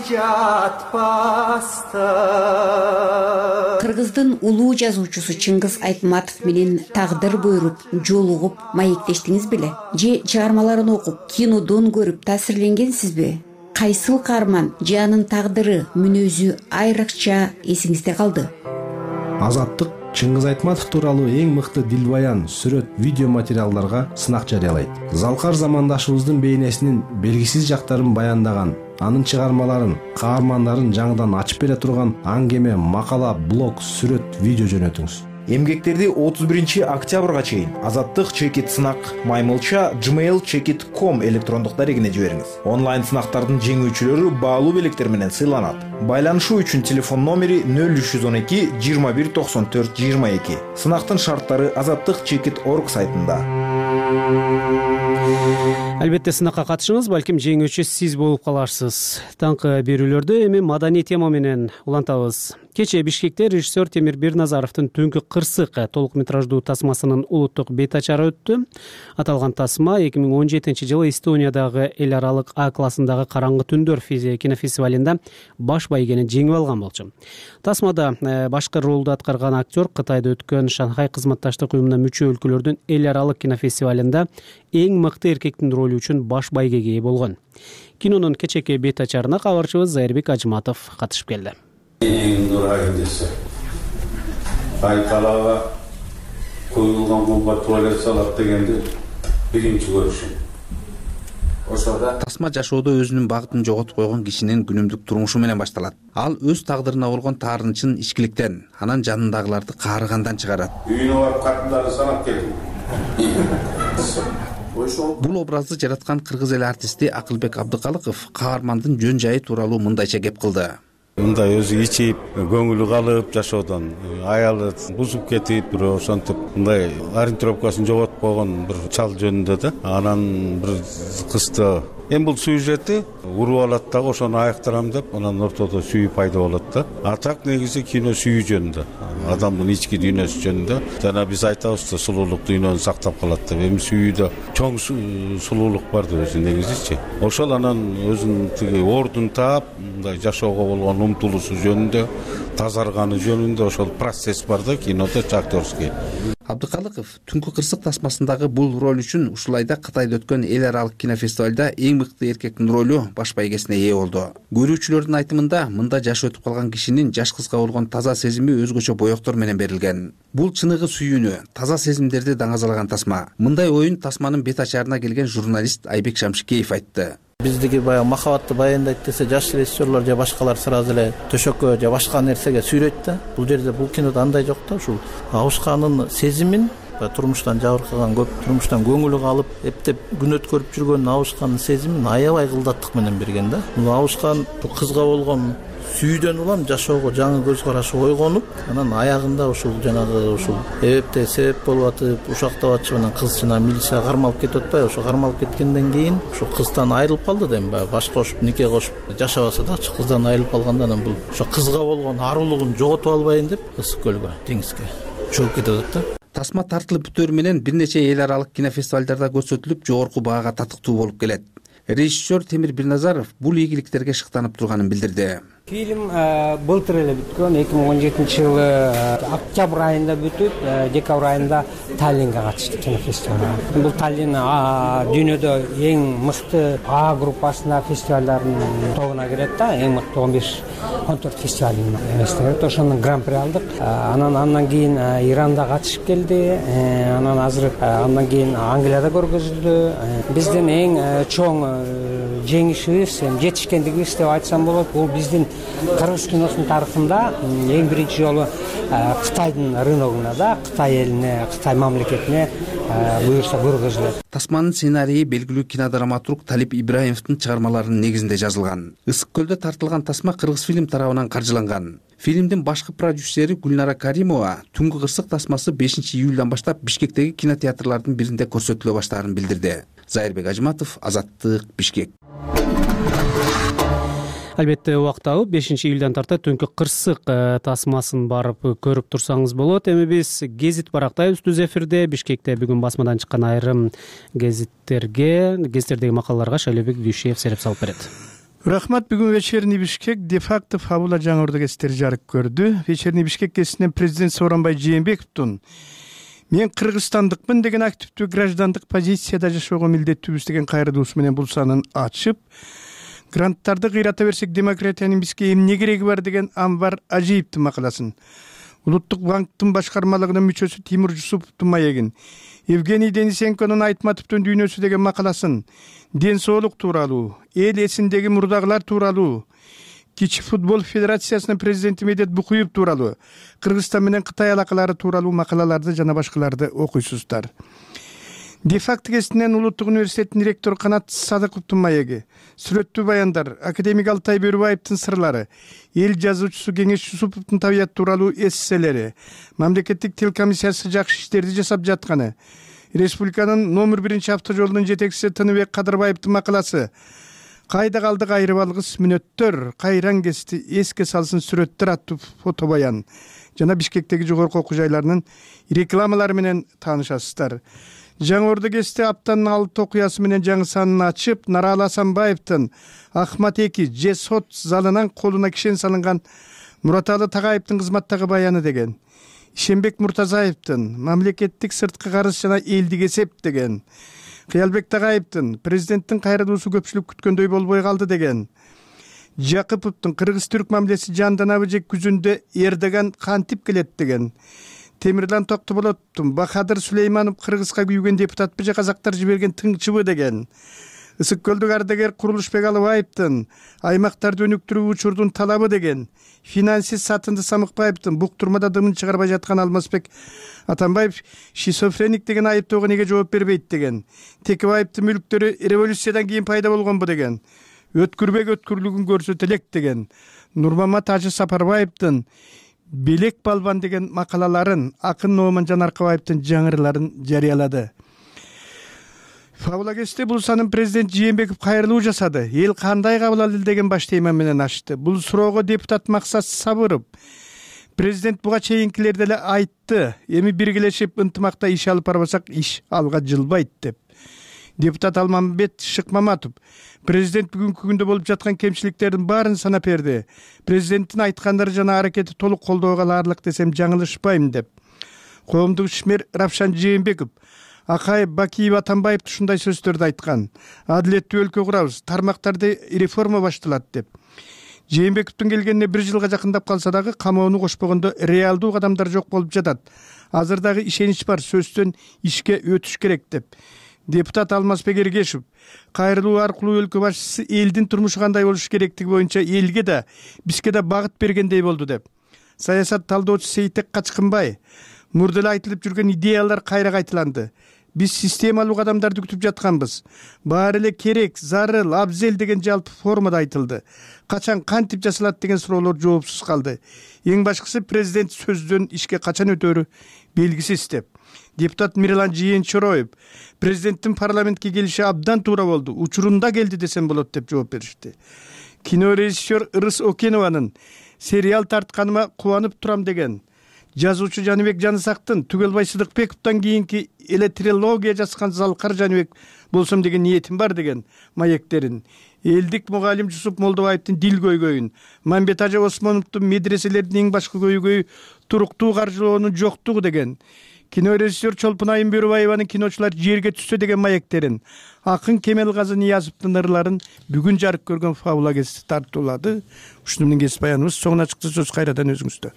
жатпастан. Кыргыздын улуу жазуучусу Чыңгыз Айтматов менен тагдыр буйруп, жолугуп, маектештиңиз беле? Же чыгармаларын окуп, кинодон көрүп таасирленгенсизби? Кайсыл каарман же анын тагдыры, мүнөзү айрыкча эсиңизде калды? Азаттык Чыңгыз Айтматов тууралуу эң мыкты дилбаян, сүрөт, видео материалдарга сынак жарыялайт. Залкар замандашыбыздын бейнесинин белгисиз жактарын баяндаган, анын чыгармаларын, каармандарын жаңыдан ачып бере турган аңгеме, макала, блог, сүрөт, видео жөнөтүңүз. Эмгектерди 31-октябрга чейин Азаттык чекит сынак маймылча gmail.com электрондук дарегине жибериңиз. Онлайн сынактардын жеңүүчүлөрү баалуу белектер менен сыйланат. Байланышуу үчүн телефон номери 0312 21 94 22. Сынактын шарттары azattikchekit.org сайтында. Албетте сынакка катышыңыз, балким жеңүүчү сиз болуп каларсыз. Таңкы берүүлөрдө эми маданий тема менен улантабыз. Кечээ Бишкекте режиссер Темир Берназаровдун Түнкү кырсык толук метраждуу тасмасынын улуттук бет ачары өттү. Аталган тасма 2017-жылы Эстониядагы эл аралык А классындагы Караңгы түндөр кинофестивалында баш байгени жеңип алган болчу. Тасмада башкы ролду аткарган актер Кытайда өткөн Шанхай кызматташтык уюмуна мүчө өлкөлөрдүн эл аралык кинофестивалында эң мыкты эркектин ролу үчүн баш байгеге ээ болгон. Кинонун кечээки бет ачарына кабарчыбыз Зайырбек Ажматов катышып келди. Эң нурайдысы Айкалага коюлган бомба туалет салат дегенди биринчи көрүшүм. Ошода тасма жашоодо өзүнүн багытын жоготуп койгон кишинин күнүмдүк турмушу менен башталат. Ал өз тагдырына болгон таарынычын ичкиликтен, анан жанындагыларды каарыгандан чыгарат. Үйүнө барып катындарды санап келдим. Бул образды жараткан кыргыз эл артисти Акылбек Абдыкалыков каармандын жөн жайы тууралуу мындайча кеп кылды. Мындай өзү ичип, көңүлү калып жашоодон, аялы бузуп кетип, бирөө ошентип мындай ориентировкасын жоготуп койгон бир чал жөнүндө да. Анан бир кызды эми бул сюжети уруп алат дагы ошону аяктырам деп, анан ортодо сүйүү пайда болот да. А так негизи кино сүйүү жөнүндө, адамдын ички дүйнөсү жөнүндө. Жана биз айтабыз да, сулуулук дүйнөнү сактап калат деп. Эми сүйүүдө чоң сулуулук бар да өзү негизичи. Ошол анан өзүнүн тиги ордун таап, мындай жашоого болгон умтулуусу жөнүндө, тазарганы жөнүндө ошол процесс бар да кинодо актерский. Абдыкалыков Түнкү кырсык тасмасындагы бул роль үчүн ушулайда Кытайда өткөн эл аралык кинофестивалда эң мыкты эркектин ролу баш байгесине ээ болду. Көрүүчүлөрдүн айтымында, мында жашы өтүп калган кишинин жаш кызга болгон таза сезими өзгөчө боектор менен берилген. Бул чыныгы сүйүүнү, таза сезимдерди даңазалаган тасма. Мындай оюн тасманын бет ачарына келген журналист Айбек Шамшикеев айтты. Биздики баягы махабатты баяндайт десе, жаш режиссерлор же башкалар сразу эле төшөккө же башка нерсеге сүйрөйт да. Бул жерде бул кинодо андай жок да, ушул Абышкандын сезимин, турмуштан жабыркаган, көп турмуштан көңүлү калып, эптеп күн өткөрүп жүргөн Абышкандын сезимин аябай кылдаттык менен берген да. Бул Абышкан бул кызга болгон сүйүүдөн улам жашоого жаңы көз караш ойгонуп, анан аягында ушул жанагы ушул эбепте себеп болуп атып, ушактап атышып, анан кыз жана милицияга кармалып кетип атпайбы? Ошо кармалып кеткенден кийин ушу кыздан айрылып калды да, эми баш кошуп, нике кошуп жашабаса дачы кыздан айрылып калганда анан бул ошо кызга болгон арулугун жоготуп албайын деп ысык көлгө, деңизге чөгүп кетип атат да. Тасма тартылып бүтөөрү менен бир нече эл аралык кинофестивалдарда көрсөтүлүп, жогорку баага татыктуу болуп келет. Режиссер Темир Бирназаров бул ийгиликтерге шыктанып турганын билдирди. Фильм былтыр эле бүткөн, 2017-жылы октябрь айында бүтүп, декабрь айында Таллинге катышты кинофестивалга. Бул Таллин дүйнөдө эң мыкты А группасына фестивалдардын тобуна кирет да, эң мыкты 15-14 фестивалдын эмесине кирет. Ошонун гран-при алдык. Андан кийин Иранда катышып келди. Анан азыр андан кийин Англияда көргөзүлдү. Биздин эң чоң жеңишибиз, жетишкендигибиз деп айтсам болот. Бул биздин кыргыз киносунун тарыхында эң биринчи жолу Кытайдын рыногуна да, Кытай элине, Кытай мамлекетине буюрса көргөзүлөт. Тасманын сценарийи белгилүү кинодраматург Талип Ибраимовдун чыгармаларынын негизинде жазылган. Ысык көлдө тартылган тасма Кыргыз фильм тарабынан каржыланган. Фильмдин башкы продюсери Гүлнара Каримова Түнгү кырсык тасмасы 5-июлдан баштап Бишкектеги кинотеатрлардын биринде көрсөтүлө баштаарын билдирди. Зайырбек Ажыматов, Азаттык, Бишкек. Албетте убакыт алып 5-июлдан тарта Түнкү кырсык тасмасын барып көрүп турсаңыз болот. Эми биз гезит барактайбыз түз эфирде. Бишкекте бүгүн басмадан чыккан айрым гезиттердеги макалаларга Шайлебек Дүйшиев сереп салып берет. Рахмат. Бүгүн Вечерний Бишкек де-факто фабула жаңырды гезиттери жарык көрдү. Вечерний Бишкек гезитинен президент Сооронбай Жээнбековдун "Мен кыргызстандыкмын" деген активдүү граждандык позицияда жашоого милдеттүүбүз деген кайрылуусу менен бул санын ачып, гранттарды кыйрата берсек демократиянын бизге эмне кереги бар деген Анвар Ажиевдин макаласын, Улуттук банктын башкармалыгынын мүчөсү Тимур Жусуповдун маегин, Евгений Денисенконун Айтматовдун дүйнөсү деген макаласын, ден соолук тууралуу, эл эсиндеги мурдагылар тууралуу, Кичи футбол федерациясынын президенти Медет Букуев тууралуу, Кыргызстан менен Кытай алакалары тууралуу макалаларды жана башкаларды окуйсуздар. Де-факто гезитинен Улуттук университеттин ректору Канат Садыковдун маеги, сүрөттүү баяндар, академик Алтай Бөрүбаевдин сырлары, эл жазуучусу Кеңеш Жусуповдун табият тууралуу эсселери, мамлекеттик тил комиссиясы жакшы иштерди жасап жатканы, республиканын номер 1 авто жолунун жетекчиси Тыныбек Кадырбаевдин макаласы, кайда калдык айрып алгыс мүнөттөр, кайран гезити эске салсын сүрөттөр аттуу фото баян жана Бишкектеги жогорку окуу жайларынын рекламалары менен таанышасыздар. Жаңы Орду гезити аптанын 6 окуясы менен жаңы санын ачып, Наралы Асанбаевдин Ахмат Эки же сот залынан колуна кишен салынган Мураталы Тагайевдин кызматтагы баяны деген, Ишенбек Муртазаевдин мамлекеттик сырткы карыз жана элдик эсеп деген, Кыялбек Тагайевдин президенттин кайрылуусу көпчүлүк күткөндөй болбой калды деген, Жакыповдун кыргыз-түрк мамилеси жанданабы же күзүндө Эрдоган кантип келет деген, Темирлан Токтоболоттун Бахадыр Сулейманов кыргызга күйгөн депутатпы же казактар жиберген тыңчыбы деген, Ысык көлдүк ардагер Курулушбек Алыбаевдин аймактарды өнүктүрүү учурдун талабы деген, финансист Сатынды Самыкбаевдин буктурмада дымын чыгарбай жаткан Алмазбек Атамбаев шизофреник деген айыптоого неге жооп бербейт деген, Текебаевдин мүлктөрү революциядан кийин пайда болгонбу деген, Өткүрбек өткүрлүгүн көрсөтө элек деген, Нурмамат Ажы Сапарбаевдин Белек балбан деген макалаларын, акын Нооман Жанаркабаевдин жаңырыларын жарыялады. Фабула гезити бул санын президент Жээнбеков кайрылуу жасады. Эл кандай кабыл алды деген баш тема менен ачты. Бул суроого депутат Максат Сабыров президент буга чейинкилерде эле айтты. Эми биргелешип ынтымакта иш алып барбасак иш алга жылбайт деп. Депутат Алмамбет Шыкмаматов президент бүгүнкү күндө болуп жаткан кемчиликтердин баарын санап берди. Президенттин айткандары жана аракети толук колдоого ылаарлык десем жаңылышпайм деп. Коомдук ишмер Равшан Жээнбеков Акаев, Бакиев, Атамбаев ушундай сөздөрдү айткан. Адилеттүү өлкө курабыз, тармактарды реформа башталат деп. Жээнбековдун келгенине 1 жылга жакындап калса дагы камоону кошпогондо реалдуу кадамдар жок болуп жатат. Азыр дагы ишенич бар, сөздөн ишке өтүш керек деп. Депутат Алмазбек Эргешев кайрылуу аркылуу өлкө башчысы элдин турмушу кандай болуш керектиги боюнча элге да, бизге да багыт бергендей болду деп. Саясат талдоочу Сейтек Качкынбай мурда эле айтылып жүргөн идеялар кайра кайталанды. биз системалуу кадамдарды күтүп жатканбыз. Баары эле керек, зарыл, абзел деген жалпы формада айтылды. Качан кантип жасалат деген суроолор жоопсуз калды. Эң башкысы президент сөздөн ишке качан өтөрү белгисиз деп. Депутат Мирлан Жыйынчороев президенттин парламентке келиши абдан туура болду, учурунда келди десем болот деп жооп беришти. Кинорежиссер Ырыс Окенованын сериал тартканыма кубанып турам деген, жазуучу Жаныбек Жанысактын Түгелбай Сыдыкбековдон кийинки эле трилогия жазган Залкар Жаныбек болсом деген ниетим бар деген маектерин, элдик мугалим Жусуп Молдобаевдин дил көйгөйүн, Мамбет Ажа Осмоновдун медреселердин эң башкы көйгөйү туруктуу каржылоонун жоктугу деген, кинорежиссер Чолпун Айым Бөрүбаеванын киночулар жерге түссө деген маектерин, акын Кемелгазы Ниязовдун ырларын бүгүн жарык көргөн фабула гезити тартуулады. Ушуну менен кесип баяныбыз соңуна чыкты. Сөз кайрадан өзүңүздө.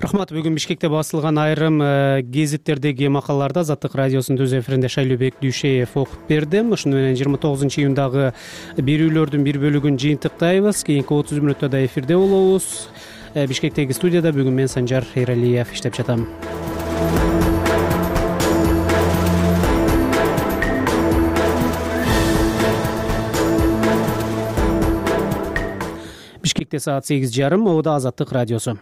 Рахмат. Бүгүн Бишкекте басылган айрым гезиттердеги макалаларды Азаттык радиосунун өз эфиринде Шайлообек Дүйшеев окуп берди. Ушуну менен 29-июндагы берүүлөрдүн бир бөлүгүн жыйынтыктайбыз. Кийинки 30 мүнөттө да эфирде болобуз. Бишкектеги студияда бүгүн мен Санжар Эралиев иштеп жатам. Бишкекте саат 8:30, Оодо Азаттык радиосу.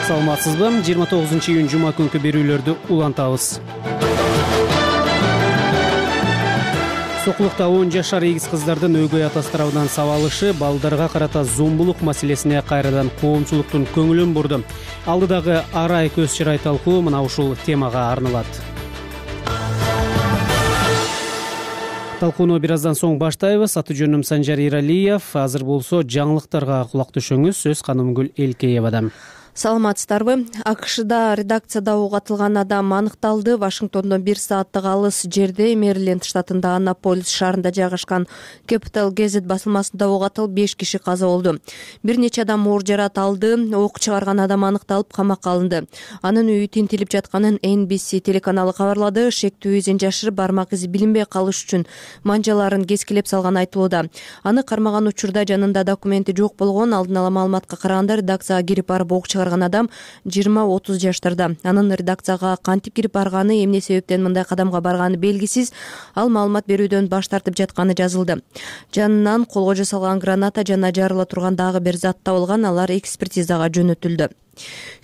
Саламатсызбы? 29-июнь жума күнкү берүүлөрдү улантабыз. Сокулукта 10 жашар эгиз кыздардын өгөй атасы тарабынан сабалышы балдарга карата зомбулук маселесине кайрадан коомчулуктун көңүлүн бурду. Алдыдагы арай көз чырай талкуу мына ушул темага арналат. Талкууну бир аздан соң баштайбыз. Аты жөнүм Санжар Эралиев. Азыр болсо жаңылыктарга кулак түшүңүз. Сөз Канымгүл Элкеевадан. Саламатсыздарбы? АКШда редакцияда угатылган адам аныкталды. Вашингтондон 1 сааттык алыс жерде Мэриленд штатында Аннаполис шаарында жайгашкан Capital Gazette басылмасында угатылып 5 киши каза болду. Бир нече адам оор жарат алды. Ок чыгарган адам аныкталып камакка алынды. Анын үйү тинтилип жатканын NBC телеканалы кабарлады. Шектүү изин жашырып, бармак изи билинбей калыш үчүн манжаларын кескилеп салган айтылууда. Аны кармаган учурда жанында документи жок болгон. Алдын ала маалыматка караганда редакцияга кирип барып ок адам 20-30 жаштарда. Анын редакцияга кантип кирип барганы, эмне себептен мындай кадамга барганы белгисиз. Ал маалымат берүүдөн баш тартып жатканы жазылды. Жанынан колго жасалган граната жана жарыла турган дагы бир зат табылган. Алар экспертизага жөнөтүлдү.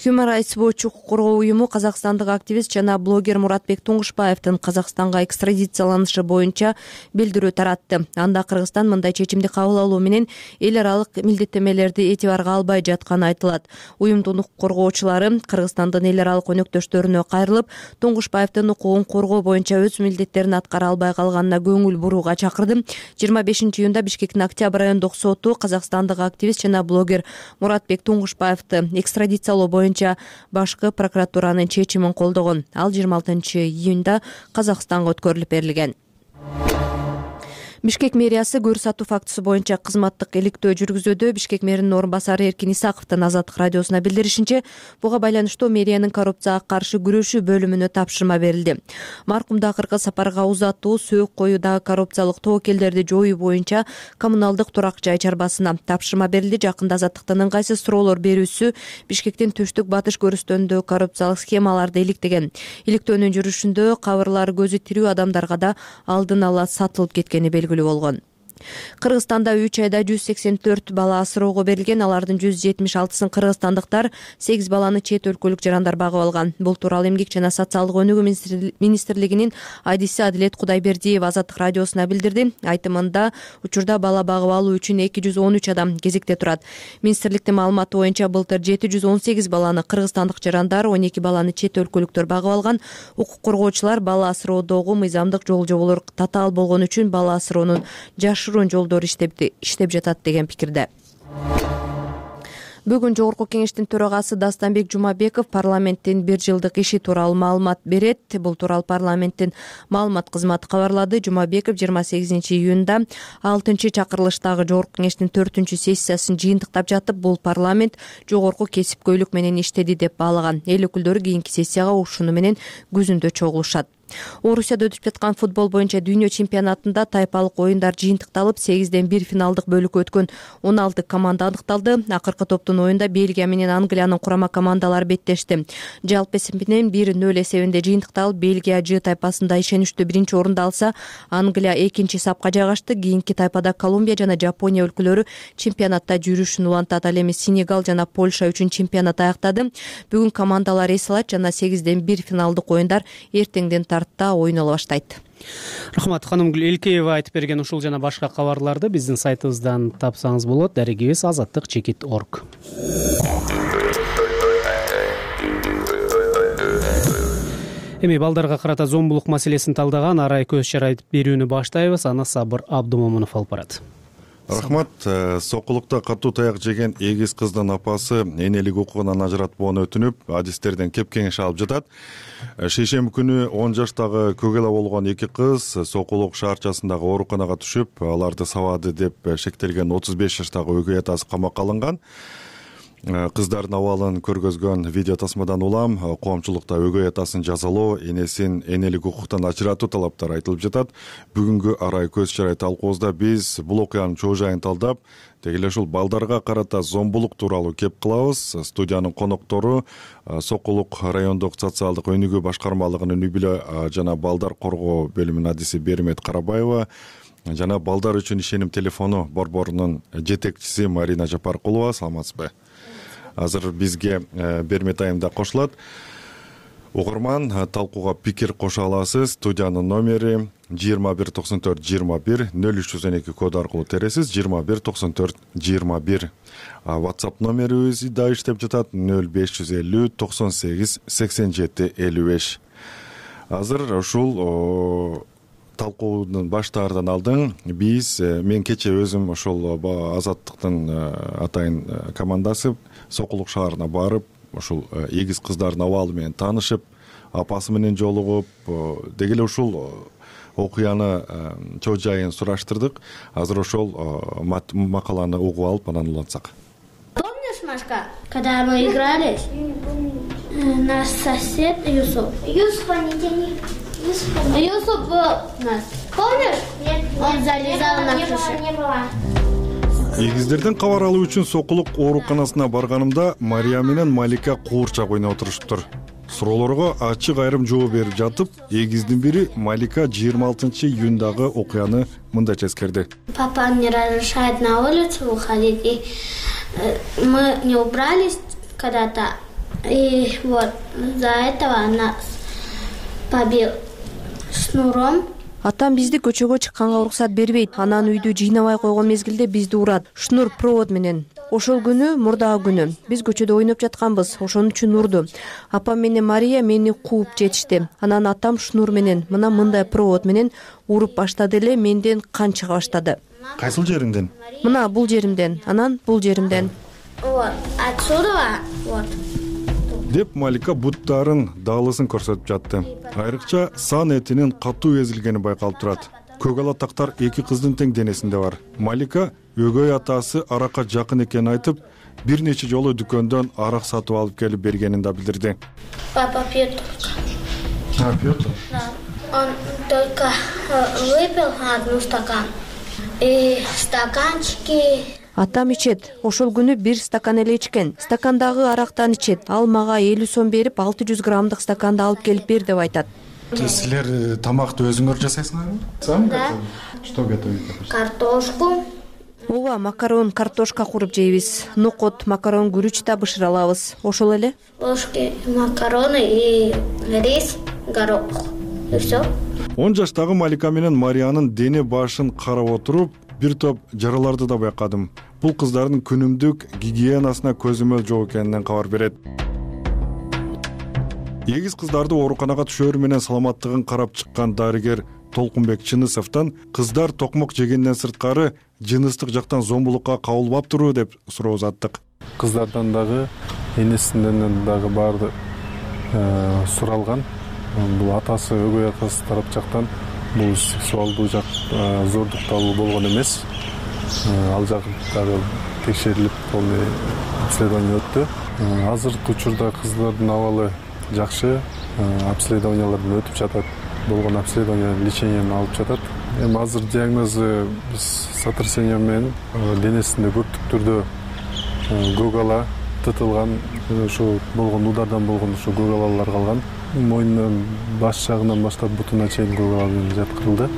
Human Rights Watch укук коргоо уюму казакстандык активист жана блогер Муратбек Туңгушбаевдин Казакстанга экстрадицияланышы боюнча билдирүү таратты. Анда Кыргызстан мындай чечимди кабыл алуу менен эл аралык милдеттемелерди этибарга албай жатканы айтылат. Уюмдун укук коргоочулары Кыргызстандын эл аралык өнөктөштөрүнө кайрылып, Туңгушбаевдин укугун коргоо боюнча өз милдеттерин аткара албай калганына көңүл бурууга чакырды. 25-июнда Бишкектин Октябрь райондук соту казакстандык активист жана блогер Муратбек Туңгушбаевди экстрадициялоо боюнча башкы прокуратуранын чечимин колдогон. Ал 26-июнда Казакстанга өткөрүлүп берилген. Бишкек мэриясы көрсөтүү фактысы боюнча кызматтык иликтөө жүргүзүүдө. Бишкек мэринин орун басары Эркин Исаковдун Азаттык радиосуна билдиришинче, буга байланыштуу мэриянын коррупцияга каршы күрөшүү бөлүмүнө тапшырма берилди. Маркумду акыркы сапарга узатуу, сөөк коюудагы коррупциялык тобокелдерди жоюу боюнча коммуналдык турак жай чарбасына тапшырма берилди. Жакында Азаттыктын ыңгайсыз суроолор берүүсү Бишкектин түштүк батыш көрүстөнүндө коррупциялык схемаларды иликтеген. Иликтөөнүн жүрүшүндө кабырлар көзү тирүү адамдарга да алдын ала сатылып кеткени белгилүү болгон. Кыргызстанда 3 айда 184 бала асыроого берилген. Алардын 176-сын кыргызстандыктар, 8 баланы чет өлкөлүк жарандар багып алган. Бул тууралуу Эмгек жана социалдык өнүгүү министрлигинин айдиси Адилет Кудайбердиева Азаттык радиосуна билдирди. Айтымында, учурда бала багып алуу үчүн 213 адам кезекте турат. Министрликтин маалыматы боюнча былтыр 718 баланы кыргызстандык жарандар, 12 баланы чет өлкөлүктөр багып алган. Укук коргоочулар бала асыроодогу мыйзамдык жол-жоболор татаал болгон үчүн бала асыроонун жашыруун жолдору иштеп жатат деген пикирде. Бүгүн Жогорку кеңештин төрагасы Дастанбек Жумабеков парламенттин 1 жылдык иши тууралуу маалымат берет. Бул тууралуу парламенттин маалымат кызматы кабарлады. Жумабеков 28-июнда 6-чакырылыштагы Жогорку кеңештин 4-сессиясын жыйынтыктап жатып, бул парламент жогорку кесипкөйлүк менен иштеди деп баалаган. Эл өкүлдөрү кийинки сессияга ушуну менен күзүндө чогулушат. Орусияда өтүп жаткан футбол боюнча дүйнө чемпионатында тайпалык оюндар жыйынтыкталып 8-1 финалдык бөлүккө өткөн 16 команда аныкталды. Акыркы топтун оюнда Бельгия менен Англиянын курама командалары беттешти. Жалпы эсеп менен 1-0 эсебинде жыйынтыкталып, Бельгия Ж тайпасында ишеничтүү биринчи орунду алса, Англия экинчи сапка жайгашты. Кийинки тайпада Колумбия жана Жапония өлкөлөрү чемпионатта жүрүшүн улантат. Ал эми Сенегал жана Польша үчүн чемпионат аяктады. Бүгүн командалар эс алат жана 8-1 финалдык оюндар эртеңден тарта ойнола баштайт. Рахмат, Ханымгүл Элкеева айтып берген ушул жана башка кабарларды биздин сайтыбыздан тапсаңыз болот. Дарегибиз azаттык.org. Эми балдарга карата зомбулук маселесин талдаган арай көз чарай берүүнү баштайбыз. Аны Сабыр Абдумомунов алып барат. Рахмат. Сокулукта катуу таяк жеген эгиз кыздын апасы энелик укугунан ажыратпоону өтүнүп, адистерден кеп кеңеш алып жатат. Шейшемби күнү 10 жаштагы көгела болгон эки кыз Сокулук шаарчасындагы ооруканага түшүп, аларды сабады деп шектелген 35 жаштагы өгөй атасы камакка алынган. Кыздардын абалын көргөзгөн видео тасмадан улам коомчулукта өгөй атасын жазалоо, энесин энелик укуктан ажыратуу талаптары айтылып жатат. Бүгүнкү арай көз чарай талкуубузда биз бул окуянын чоо жайын талдап, деги эле ушул балдарга карата зомбулук тууралуу кеп кылабыз. Студиянын коноктору Сокулук райондук социалдык өнүгүү башкармалыгынын үй бүлө жана балдар коргоо бөлүмүнүн адиси Бермет Карабаева жана балдар үчүн ишеним телефону борборунун жетекчиси Марина Жапаркулова. Саламатсызбы? Азыр бизге Бермет айым да кошулат. Угурман талкууга пикир кошо аласыз. Студиянын номери 219421 0312 коду аркылуу тересиз. 219421. WhatsApp номерибиз да иштеп жатат 0550 98 87 55. Азыр ушул талкуунун баштаардан алдын мен кече өзүм ошол Азаттыктын атайын командасы Сокулук шаарына барып, ушул эгиз кыздардын абалы менен таанышып, апасы менен жолугуп, деги эле ушул окуяны чоо жайын сураштырдык. Азыр ошол макаланы угуп алып, анан улантсак. Помнишь, Машка, когда мы игрались? Наш сосед Юсуп. Юсупа не тяни. Юсуп был у нас. Помнишь? Нет. Он залезал на крышу. Не было. Эгиздерден кабар алуу үчүн Сокулук ооруканасына барганымда Мария менен Малика куурчак ойноп отуруштур. Суроолорго ачык айрым жооп берип жатып, эгиздин бири Малика 26-июндагы окуяны мындайча эскерди. Папа не разрешает на улицу выходить, и мы не убрались когда-то, и вот за этого нас побил шнуром. Атам бизди көчөгө чыкканга уруксат бербейт. Анан үйдү жыйнабай койгон мезгилде бизди урат. Шнур провод менен. Ошол күнү мурдагы күнү биз көчөдө ойноп жатканбыз. Ошон үчүн урду. Апам менен Мария мени кууп жетишти. Анан атам шнур менен мындай провод менен уруп баштады эле, менден кан чыга баштады. Кайсыл жериңден? Мына бул жеримден, анан бул жеримден. Вот, отсюда, вот. Деп Малика буттарын даалысын көрсөтүп жатты. Айрыкча сан этинин катуу эзилгени байкалып турат. Көгала тактар эки кыздын тең денесинде бар. Малика өгөй атасы аракка жакын экенин айтып, бир нече жолу дүкөндөн арак сатып алып келип бергенин да билдирди. Папа пьет только. Пьет? Да. Он только выпил одну стакан. И стаканчики. Атам ичет. Ошол күнү бир стакан эле ичкен. Стакандагы арактан ичет. Ал мага 50 сом берип, 600 граммдык стаканды алып келип бер деп айтат. Силер тамакты өзүңөр жасайсыңарбы? Сам Да. Что готовите? Картошку. Ооба, макарон, картошка куруп жейбиз. Нокот, макарон, күрүч да бышыра алабыз. Ошол эле. Ложки макароны и рис, горох. И все. 10 жаштагы Малика менен Мариянын дене башын карап отуруп, бир топ жараларды да байкадым. Бул кыздардын күнүмдүк гигиенасына көзөмөл жок экенинен кабар берет. Эгиз кыздарды ооруканага түшөрү менен саламаттыгын карап чыккан дарыгер Толкунбек Чынысовдон кыздар токмок жегенден сырткары жыныстык жактан зомбулукка кабылбаптырбы деп суроо узаттык. Кыздардан дагы энесинен дагы баары суралган. Бул атасы, өгөй атасы тарап жактан бул сексуалдуу жак зордукталуу болгон эмес. Ал жак дагы текшерилип, полный обследование өттү. Азыркы учурда кыздардын абалы жакшы, обследованиялардан өтүп жатат. болгон обследование леченияны алып жатат. Эми азыр диагнозу биз сотрясение менен денесинде көптүк түрдө көгала тытылган, ушу болгон удардан болгон ушу көгалалар калган. Мойнунун баш жагынан баштап бутуна чейин көгала менен жаткырылды.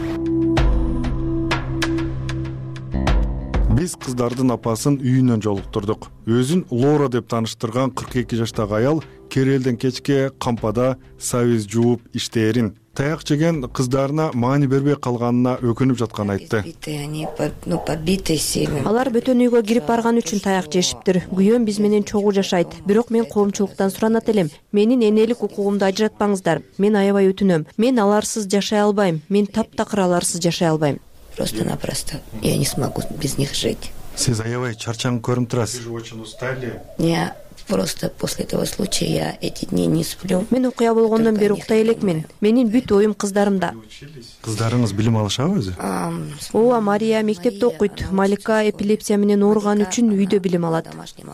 Биз кыздардын апасын үйүнөн жолуктурдук. Өзүн Лора деп тааныштырган 42 жаштагы аял керелден кечке кампада сабиз жууп иштээрин, таяк жеген кыздарына маани бербей калганына өкүнүп жатканын айтты. Алар бөтөн үйгө кирип барган үчүн таяк жешиптир. Күйөөм биз менен чогуу жашайт. Бирок мен коомчулуктан суранат элем. Менин энелик укугумду ажыратпаңыздар. Мен аябай өтүнөм. Мен аларсыз жашай албайм. Мен таптакыр аларсыз жашай албайм. Просто-напросто. Я не смогу без них жить. Сиз аябай чарчаңып көрүнүп турасыз. Вы же очень устали. Я просто после этого случая я эти дни не сплю. Мен окуя болгондон бери уктай элекмин. Менин бүт оюм кыздарымда. Кыздарыңыз билим алышабы өзү? Ооба, Мария мектепте окуйт. Малика эпилепсия менен ооруган үчүн үйдө билим алат.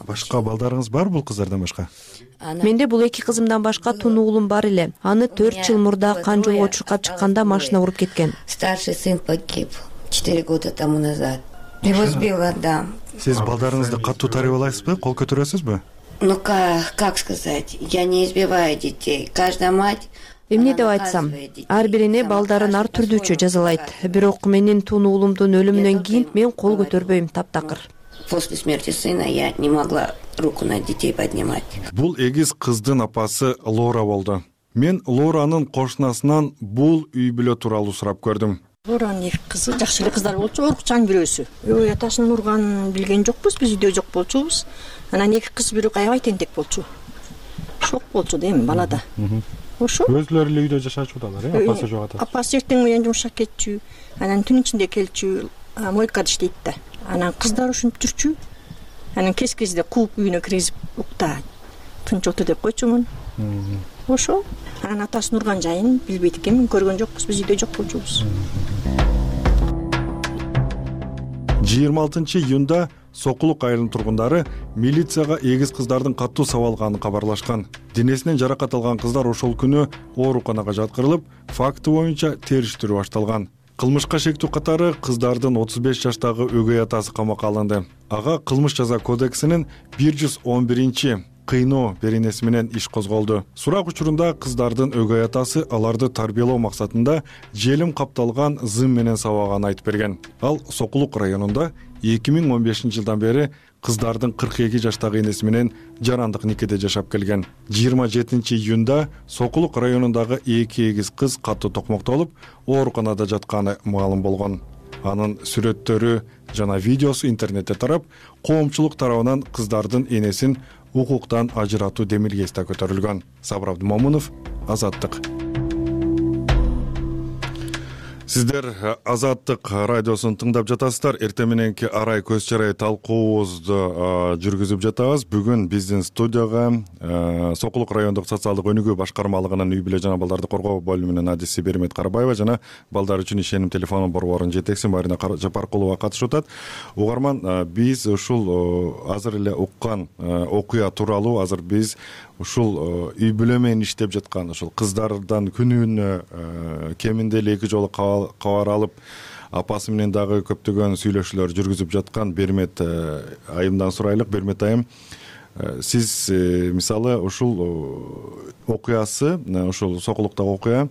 Башка балдарыңыз бар бул кыздардан башка? Менде бул эки кызымдан башка тун уулум бар эле. Аны 4 жыл мурда кан жолго чуркап чыкканда машина уруп кеткен. Старший сын погиб 4 года тому назад. Его сбила, да. Сиз балдарыңызды катуу тарбиялайсызбы, кол көтөрөсүзбү? Ну как сказать, я не избиваю детей. Каждая мать. Эмне деп айтсам, ар бир эне балдарын ар түрдүүчө жазалайт. Бирок менин тун уулумдун өлүмүнөн кийин мен кол көтөрбөйм таптакыр. После смерти сына я не могла руку на детей поднимать. Бул эгиз кыздын апасы Лора болду. Мен Лоранын кошунасынан бул үй бүлө тууралуу сурап көрдүм. Лоранын эки кызы жакшы эле кыздар болчу, орукчан бирөөсү. Үй атасынын урганын билген жокпуз, биз үйдө жок болчубуз. Анан эки кыз бирөө аябай тентек болчу. Шок болчу да эми балада. Ошо. Өзүлөрү эле үйдө жашачудалар, апасы жок атасы. Апасы эртең менен жумушка кетчү, анан түн ичинде келчү, мойкада иштейт да. Анан кыздар ушинтип жүрчү. Анан кез-кезде кууп үйүнө киргизип укта. Тынч отур деп койчумун. Ошо. Анан атасынын урган жайын билбейт экенмин, көргөн жокпуз, биз үйдө жок болчубуз. 26 июнда Сокулук айылынын тургундары милицияга эгиз кыздардын катуу сабалганын кабарлашкан. Денесинен жаракат алган кыздар ошол күнү ооруканага жаткырылып, факты боюнча териштирүү башталган. Кылмышка шектүү катары кыздардын 35 жаштагы өгөй атасы камакка алынды. Ага кылмыш жаза кодексинин 111 кыйноо беренеси менен иш козголду. Сурак учурунда кыздардын өгөй атасы аларды тарбиялоо максатында желим капталган зым менен сабаганын айтып берген. Ал Сокулук районунда 2015 жылдан бери кыздардын 42 жаштагы энеси менен жарандык никеде жашап келген. 27 июнда Сокулук районундагы эки эгиз кыз катуу токмоктолуп, ооруканада жатканы маалым болгон. Анын сүрөттөрү жана видеосу интернетте тарап, коомчулук тарабынан кыздардын энесин укуктан ажыратуу демилгеси көтөрүлгөн. Сабыр Абдымомунов, Азаттык. Сиздер Азаттык радиосун тыңдап жатасыздар. Эртең мененки арай көз чарай талкуубузду жүргүзүп жатабыз. Бүгүн биздин студияга Сокулук райондук социалдык өнүгүү башкармалыгынын үй бүлө жана балдарды коргоо бөлүмүнүн адиси Бермет Карабаева жана балдар үчүн ишеним телефону борборунун жетекчиси Марина Жапаркулова катышып атат. Угарман, биз ушул азыр эле уккан окуя тууралуу азыр биз ушул үй бүлө менен иштеп жаткан ушул кыздардан күнүнө кеминде эле 2 жолу кабар алып, апасы менен дагы көптөгөн сүйлөшүүлөр жүргүзүп жаткан Бермет айымдан сурайлык. Бермет айым, сиз мисалы ушул окуясы, ушул Сокулуктагы окуя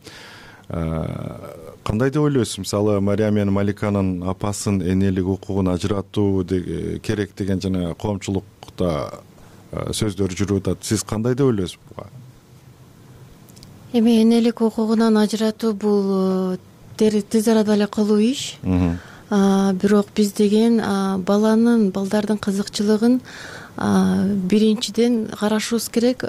кандай деп ойлойсуз? Мисалы Мария менен Маликанын апасын энелик укугун ажыратуу керек деген жана коомчулукта сөздөр жүрүп атат. Сиз кандай деп ойлойсуз буга? Эми энелик укугунан ажыратуу бул тез арада эле кылуу иш. Бирок биз деген балдардын кызыкчылыгын биринчиден карашыбыз керек.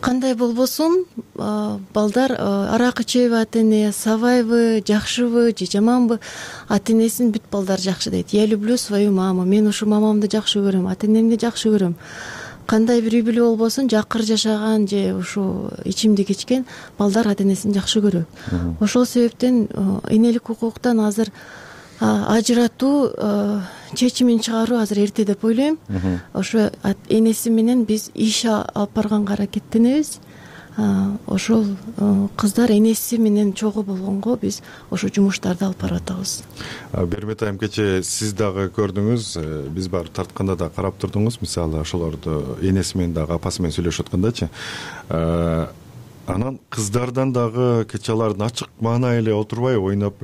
Кандай болбосун, балдар арак ичеби, ата эне сабайбы, жакшыбы же жаманбы, ата энесин бүт балдар жакшы дейт. Я люблю свою маму. Мен ушу мамамды жакшы көрөм, ата энемди жакшы көрөм. Кандай бир үй бүлө болбосун, жакыр жашаган же ушу ичимдик ичкен балдар ата энесин жакшы көрөт. Ошол себептен энелик укуктан азыр ажыратуу чечимин чыгаруу азыр эрте деп ойлойм. Ошо энеси менен биз иш алып барганга аракеттенебиз. ошол кыздар энеси менен чогуу болгонго биз ошо жумуштарды алып барып атабыз. Бермет айым, кечээ сиз дагы көрдүңүз, биз барып тартканда да карап турдуңуз, мисалы ошолорду энеси менен дагы апасы менен сүйлөшүп аткандачы. Анан кыздардан дагы кечээ алардын ачык маанай эле отурбай ойноп,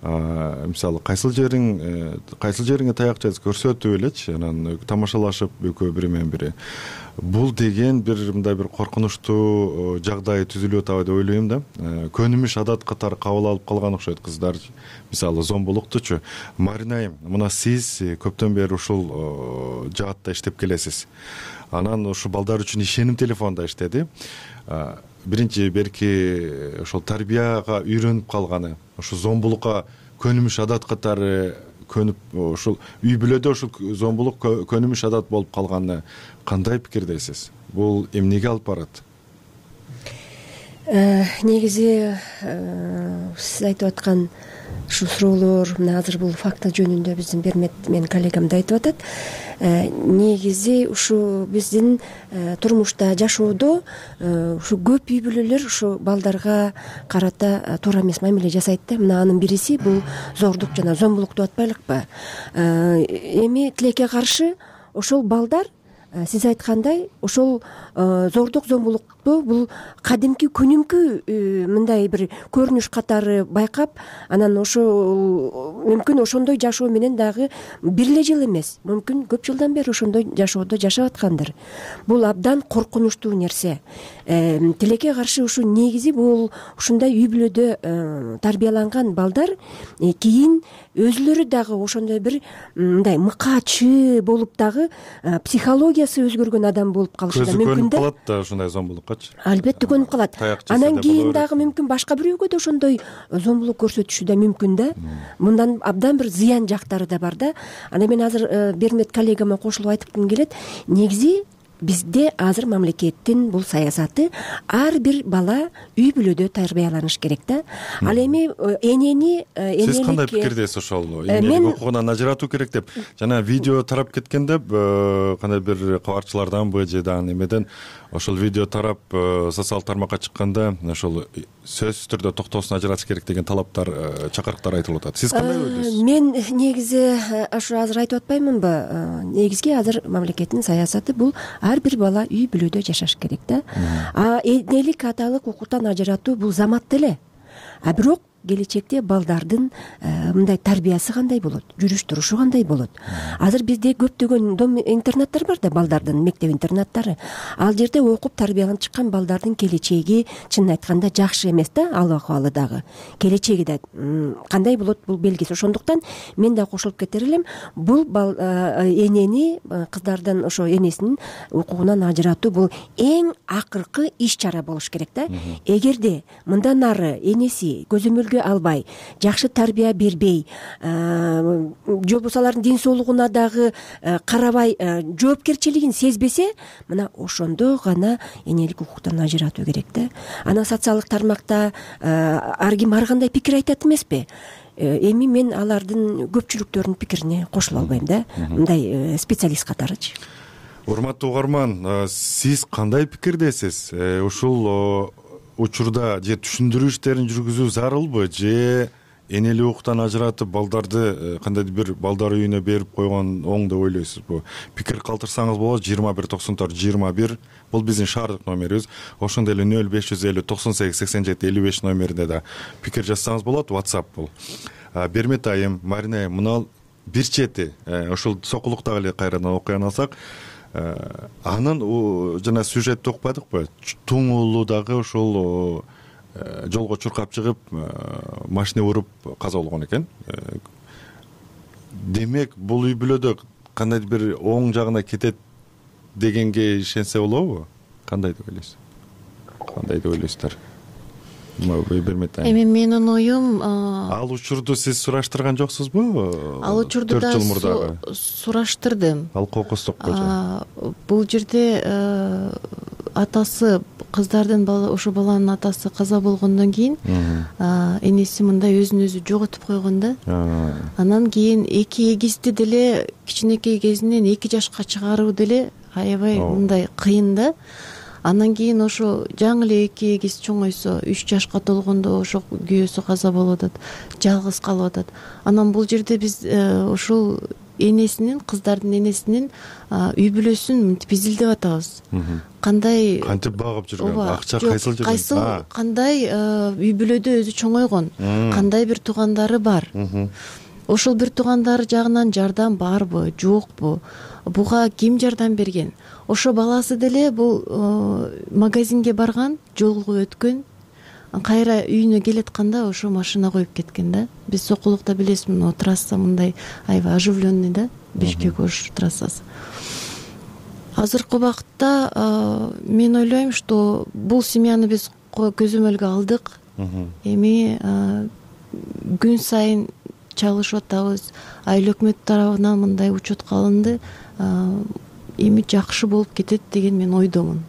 мисалы кайсыл жериңе таяк жазып көрсөтүп элечи, анан тамашалашып экөө бири менен бири. Бул деген бир мындай бир коркунучтуу жагдай түзүлүп атабы деп ойлойм да. Көнүмүш адат катары кабыл алып калган окшойт кыздар, мисалы зомбулуктучу. Марина айым, мына сиз көптөн бери ушул жаатта иштеп келесиз. Анан ушу балдар үчүн ишеним телефонда иштеди. Биринчи берки ошол тарбияга үйрөнүп калганы, ушу зомбулукка көнүмүш адат катары көнүп, ушул үй бүлөдө ушул зомбулук көнүмүш адат болуп калганына кандай пикирдесиз? Бул эмнеге алып барат? Негизи сиз айтып аткан ушул суроолор, мына азыр бул факты жөнүндө биздин Бермет менин коллегам да айтып атат. Негизи ушу биздин турмушта, жашоодо ушу көп үй бүлөлөр ушу балдарга карата туура эмес мамиле жасайт да. Мына анын бириси бул зордук жана зомбулук деп атпайлыкпы? Эми тилекке каршы ошол балдар сиз айткандай ошол зордук, зомбулукту бул кадимки күнүмкү мындай бир көрүнүш катары байкап, анан ошол мүмкүн ошондой жашоо менен дагы бир эле жыл эмес, мүмкүн көп жылдан бери ошондой жашоодо жашап аткандыр. Бул абдан коркунучтуу нерсе. Тилекке каршы ушу негизи бул ушундай үй бүлөдө тарбияланган балдар кийин өзүлөрү дагы ошондой бир мындай мыкаачы болуп дагы психологиясы өзгөргөн адам болуп калышы да мүмкүн да. Көнүп калат да ушундай зомбулуккачы. Албетте көнүп калат. Анан кийин дагы мүмкүн башка бирөөгө да ошондой зомбулук көрсөтүшү да мүмкүн да. Мындан абдан бир зыян жактары да бар да. Анан мен азыр Бермет коллегама кошулуп айткым келет. Негизи бизде азыр мамлекеттин бул саясаты ар бир бала үй бүлөдө тарбияланыш керек да. Ал эми энени сиз кандай пикирдесиз ошол энелик укугунан ажыратуу керек деп? Жана видео тарап кеткен деп кандай бир кабарчыларданбы же дагы немеден ошол видео тарап социалдык тармакка чыкканда ошол сөзсүз түрдө токтоосун ажыратыш керек деген талаптар, чакырыктар айтылып атат. Сиз кандай ойлойсуз? Мен негизи ошо азыр айтып атпаймынбы? Негизги азыр мамлекеттин саясаты бул ар бир бала үй бүлөдө жашаш керек да. Энелик аталык укуктан ажыратуу бул замат эле. Бирок келечекте балдардын мындай тарбиясы кандай болот, жүрүш турушу кандай болот? Азыр бизде көптөгөн дом интернаттар бар да, балдардын мектеп интернаттары. Ал жерде окуп тарбияланып чыккан балдардын келечеги чынын айтканда жакшы эмес да, ал акыбалы дагы. Келечеги да кандай болот бул белгисиз. Ошондуктан мен да кошулуп кетер элем, бул энени, кыздардын ошо энесинин укугунан ажыратуу бул эң акыркы иш чара болуш керек да. Эгерде мындан ары энеси көзөмөлгө албай, жакшы тарбия бербей, же болбосо алардын ден соолугуна дагы карабай, жоопкерчилигин сезбесе, мына ошондо гана энелик укуктан ажыратуу керек да. Анан социалдык тармакта ар ким ар кандай пикир айтат эмеспи? Эми мен алардын көпчүлүктөрүнүн пикирине кошула албайм да, мындай специалист катарычы. Урматтуу угарман, сиз кандай пикирдесиз? Ушул учурда же түшүндүрүү иштерин жүргүзүү зарылбы, же энелик укуктан ажыратып балдарды кандайдыр бир балдар үйүнө берип койгон оң деп ойлойсузбу? Пикир калтырсаңыз болот. 2194-21 бул биздин шаардык номерибиз. Ошондой эле 0550 98 87 55 номерине да пикир жазсаңыз болот. WhatsApp бул. Бермет айым, Марина айым, мына бир чети ошол сокулуктагы эле кайрадан окуян алсак, анын жана сюжетти укпадыкпы? Туң уулу дагы ошол жолго чуркап чыгып, машина уруп каза болгон экен. Демек, бул үй бүлөдө кандайдыр бир оң жагына кетет дегенге ишенсе болобу? Кандай деп ойлойсуз? Кандай деп ойлойсуздар? Эми менин оюм, ал учурду сиз сураштырган жоксузбу? Ал учурду да сураштырдым. Ал кокустукпу? Бул жерде атасы, кыздардын ошо баланын атасы каза болгондон кийин энеси мындай өзүн өзү жоготуп койгон да. Анан кийин эки эгизди деле кичинекей кезинен 2 жашка чыгаруу деле аябай мындай кыйын да. Андан кийин ошо жаңы эле 2 эгиз чоңойсо 3 жашка толгондо ошо күйөөсү каза болуп атат, жалгыз калып атат. Анан бул жерде биз ушул энесинин, кыздардын энесинин үй бүлөсүн мынтип изилдеп атабыз. Кантип багып жүргөн, акча кайсыл жүргөн, кандай үй бүлөдө өзү чоңойгон, кандай бир туугандары бар. Ошол бир туугандары жагынан жардам барбы, жокпу? Буга ким жардам берген? Ошо баласы деле бул магазинге барган, жолго өткөн, кайра үйүнө келатканда ошо машина коюп кеткен да. Биз Сокулукта билесиз, мына трасса мындай аябай оживленный да, Бишкек-Ош трассасы. Азыркы убакытта мен ойлойм, что бул семьяны биз көзөмөлгө алдык. Эми күн сайын чалышып атабыз. Айыл өкмөт тарабынан мындай учетка алынды. Эми жакшы болуп кетет деген мен ойдомун.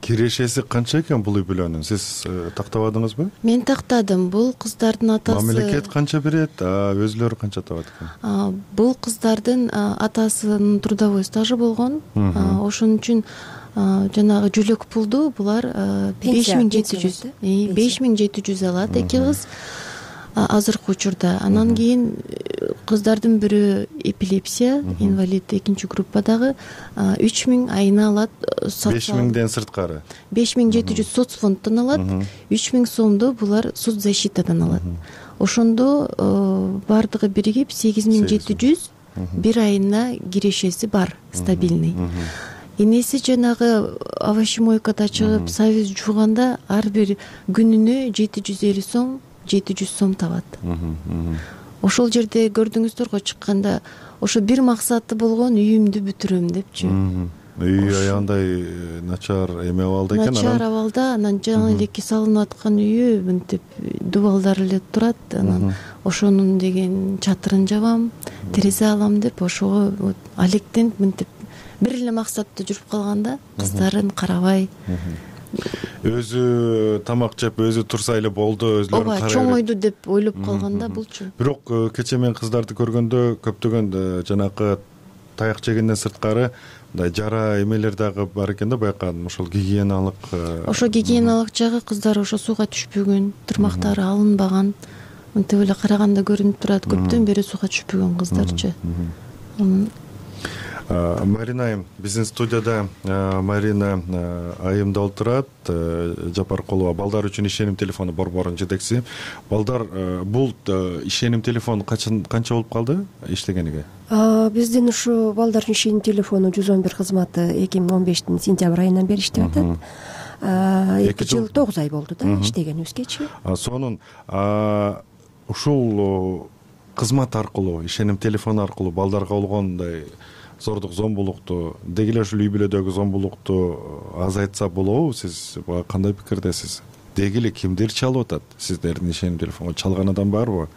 Кирешеси канча экен бул үй бүлөнүн? Сиз тактабадыңызбы? Мен тактадым. Бул кыздардын атасы. Мамлекет канча берет, өзүлөрү канча табат экен? Бул кыздардын атасынын трудовой стажы болгон. Ошон үчүн жанагы жүлөк пулду булар 5700 алат эки кыз азыркы учурда. Анан кийин кыздардын бирөө эпилепсия, инвалид 2 группадагы 3000 айына алат. 5000ден сырткары. 5700 соцфонддон алат, 3000 сомду булар соцзащитадан алат. Ошондо бардыгы биригип 8700 бир айына кирешеси бар, стабильный. Энеси жанагы овощемойкада чыгып, сабиз жууганда ар бир күнүнө 750 сом, 700 сом табат. Ошол жерде көрдүңүздөр го чыкканда, ошо бир максаты болгон үйүмдү бүтүрөм депчи. Үй аябай начар эме абалда экен. Начар абалда, анан жаңы элеки салынып аткан үйү мынтип дубалдар эле турат. Анан ошонун деген чатырын жабам, терезе алам деп ошого алектенип мынтип бир эле максатта жүрүп калганда, кыздарын карабай. Өзү тамак жеп, өзү турса эле болду, өзлөрүн карай. Ооба, чоңойду деп ойлоп калганда булчу. Бирок кечээ мен кыздарды көргөндө көптөгөн жанакы таяк жегенден сырткары мындай жара эмелер дагы бар экен да, байкадым. Ошол гигиеналык. Ошо гигиеналык жагы кыздар ошо сууга түшпөгөн, тырмактары алынбаган. Мынтип эле караганда көрүнүп турат, көптөн бери сууга түшпөгөн кыздарчы. Марина айым, биздин студияда Марина айым да отурат. Жапаркулова, балдар үчүн ишеним телефону борборунун жетекчиси. Балдар, бул ишеним телефону канча болуп калды иштегениге? Биздин ушу балдар үчүн ишеним телефону 111 кызматы 2015 сентябрь айынан бери иштеп атат. 2 жыл 9 ай болду да иштегенибизгечи. Сонун ушул кызмат аркылуу, ишеним телефону аркылуу балдарга болгондой зордук, зомбулукту, деги эле ушул үй бүлөдөгү зомбулукту азайтса болобу? Сиз буга кандай пикирдесиз? Деги эле кимдир чалып атат? Сиздердин ишеним телефонго чалган адам барбы?